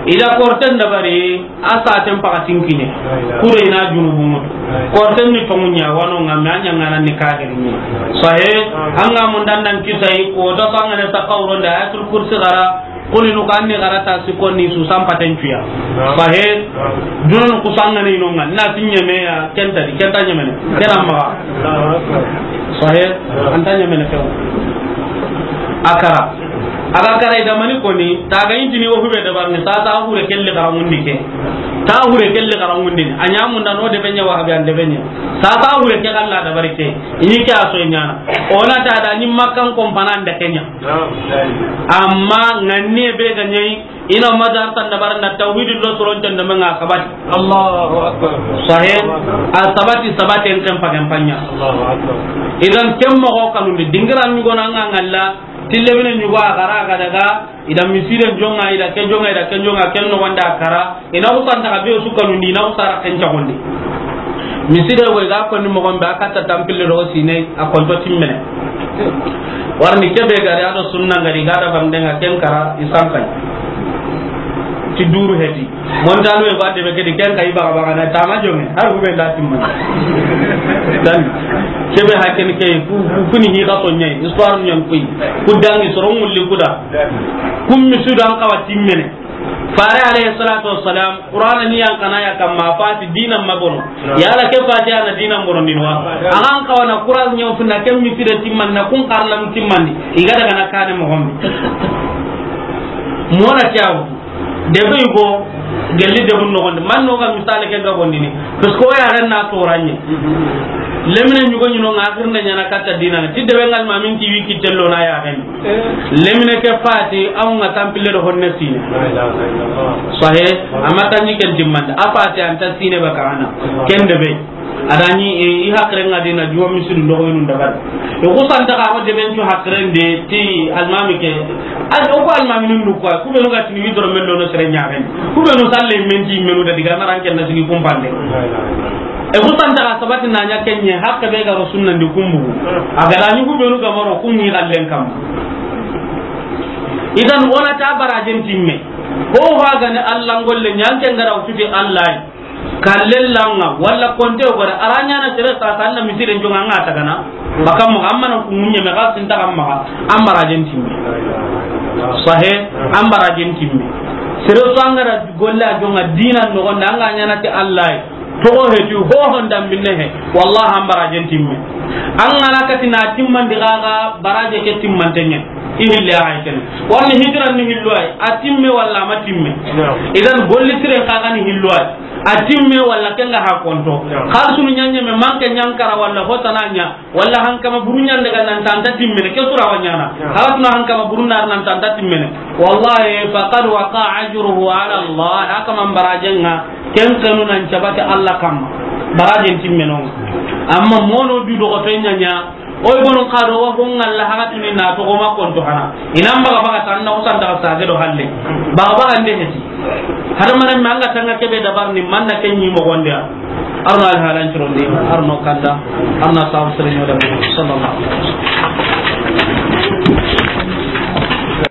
Ida korten dabari, a saten pakatin kine. Kure ina junubu mutu. Korten ni tongunya wano nga me anya ngana ni kagiri ni. Sahe, anga mun dan nan kisai ko da sangane sa qawron da ayatul kursi gara, qul inu kan ni gara ta sikon ni su sampaten cuya. Sahe, dunun kusangane inonga na tinye me ya kenta di, kenta nyemene. Kena maga. Sahe, anta nyemene kew. Akara. Aga kara i da mani koni, taga intini wo hube dabarni, sasa hure kelli karangundi ke. Ta hure kelli karangundi ni. Anya munda no de benya wa habe an de benya. Sasa hure ke kalla dabari ke. Ini ke aso nyana. Ona ta da ni makkan kompana da kenya. Amma nganni be ga nyai, ina madar tan dabar na tawhid lo soron tan da manga sabati. Allahu akbar. Sahe, a sabati, sabati en kan pagan panya. Allahu akbar. Idan kemmo ko kanundi dingiran ni gona ngalla. Tille mine ɲugo a gara ga daga, i da misire jonga, i da ke jonga, i da ke jonga, ken no wanda kara, ina usanta ka be su kanundi, ina usara ken cagondi. Misire wo i ga ko ni mo gombe a katta tampille do sine, a konto timmene. Warni kebe gari ado sunna ngari ga da bandenga ken kara i sankai. Ti duru heti. Montano e ba de be kedi ken kay baga baga na tama jonge. Har hube nda timma. Dan kebe hakken ke ku, ku, kuni hi ga to nyai. Histoire nyan kuy. Ku dangi soro ngulli kuda. Kum mi sudan kawa timmene. Fare alayhi salatu wassalam, Qur'ana ni yan kana ya kamma fati dinan mabono. Yala ke fati ana dinan bono dinwa. Agan kawana Qur'an nyaw sunna kem mi fide timman na kun karlam timmandi. Iga daga na kane mo gombe. Mona kyaw. Debe yugo gelli debun nogondi. Man no ga misale ke ga gondini. Parce que o ya ren na toranye. Lemine ɲugo ɲino nga akhirnde ɲana katta dina. Ti debe ngal ma min ti wiki tello na ya ren. Lemine ke fati aw nga tampille do honne sine. Sahe, amma tanji ken timmande. A fati anta sine ba kana. Ken debe. Adani, e, i hakre nga dina juwa misidu ndogo yinu ndabar. E ko santa ka ko deben cu hakren de ti almami ke. Al o ko almami nun du ko ku be no ga tini widoro men do no sere nyaaren. Ku be no salle men ti menu da diga maran ken na sigi kumpande. E ko santa ka sabati na nya kenye hakka be ga ro sunna ndi kumbu. Aga dani ku be no ga maro ku ni gallen kam. Idan ona ta barajen timme. Ko ha ga ne Allah ngolle nyanke ngara ututi Allah. Kallellanga walla konte o gore aranya na sere sa sanna misire jonga nga tagana. Bakam mo amma na ku munye me gasin ta amma ambara jentimbe. Sahe, ambara jentimbe. Sere so angara golla jonga dina no gonda anga nyana ti Allah. To he tu ho honda binne he. Wallahi ambara jentimbe. Angana katina timmandi gaga baraje ke timmantenye. I hille a hay ken. Wala hijira ni hillo ay. A timme wala ma timme. Naam. Idan golli siren xa ga ni hillo ay. A timme wala ken ga ha konto. Naam. Xaalisunu ɲa ɲeme manke ɲankara wala hotana ɲa. Wala hankama buru ɲa n daga nan tanta timmene. Ke sura wa ɲana. Naam. Xaalisunu hankama buru nar nan tanta timmene. Wallahi faqad waqa ajruhu ala Allah. Haka man barajenga. Ken kanu nan cabate Allah kamma. Barajen timmenon. Amma mono du dogo to ɲa ɲa. Oy, gonun xa do wa ho ŋalla haxatini na toxo ma konto hana. I na n baga baga tan na kusan daga sage do halle. Baga baga nde heti. Hada mare me an ga tanga kebe dabar ni manna ken ɲi moxonde ya. Arno al halan cironde, arno kanda, arna sabu sere ɲoda, sallallahu alaihi wasallam.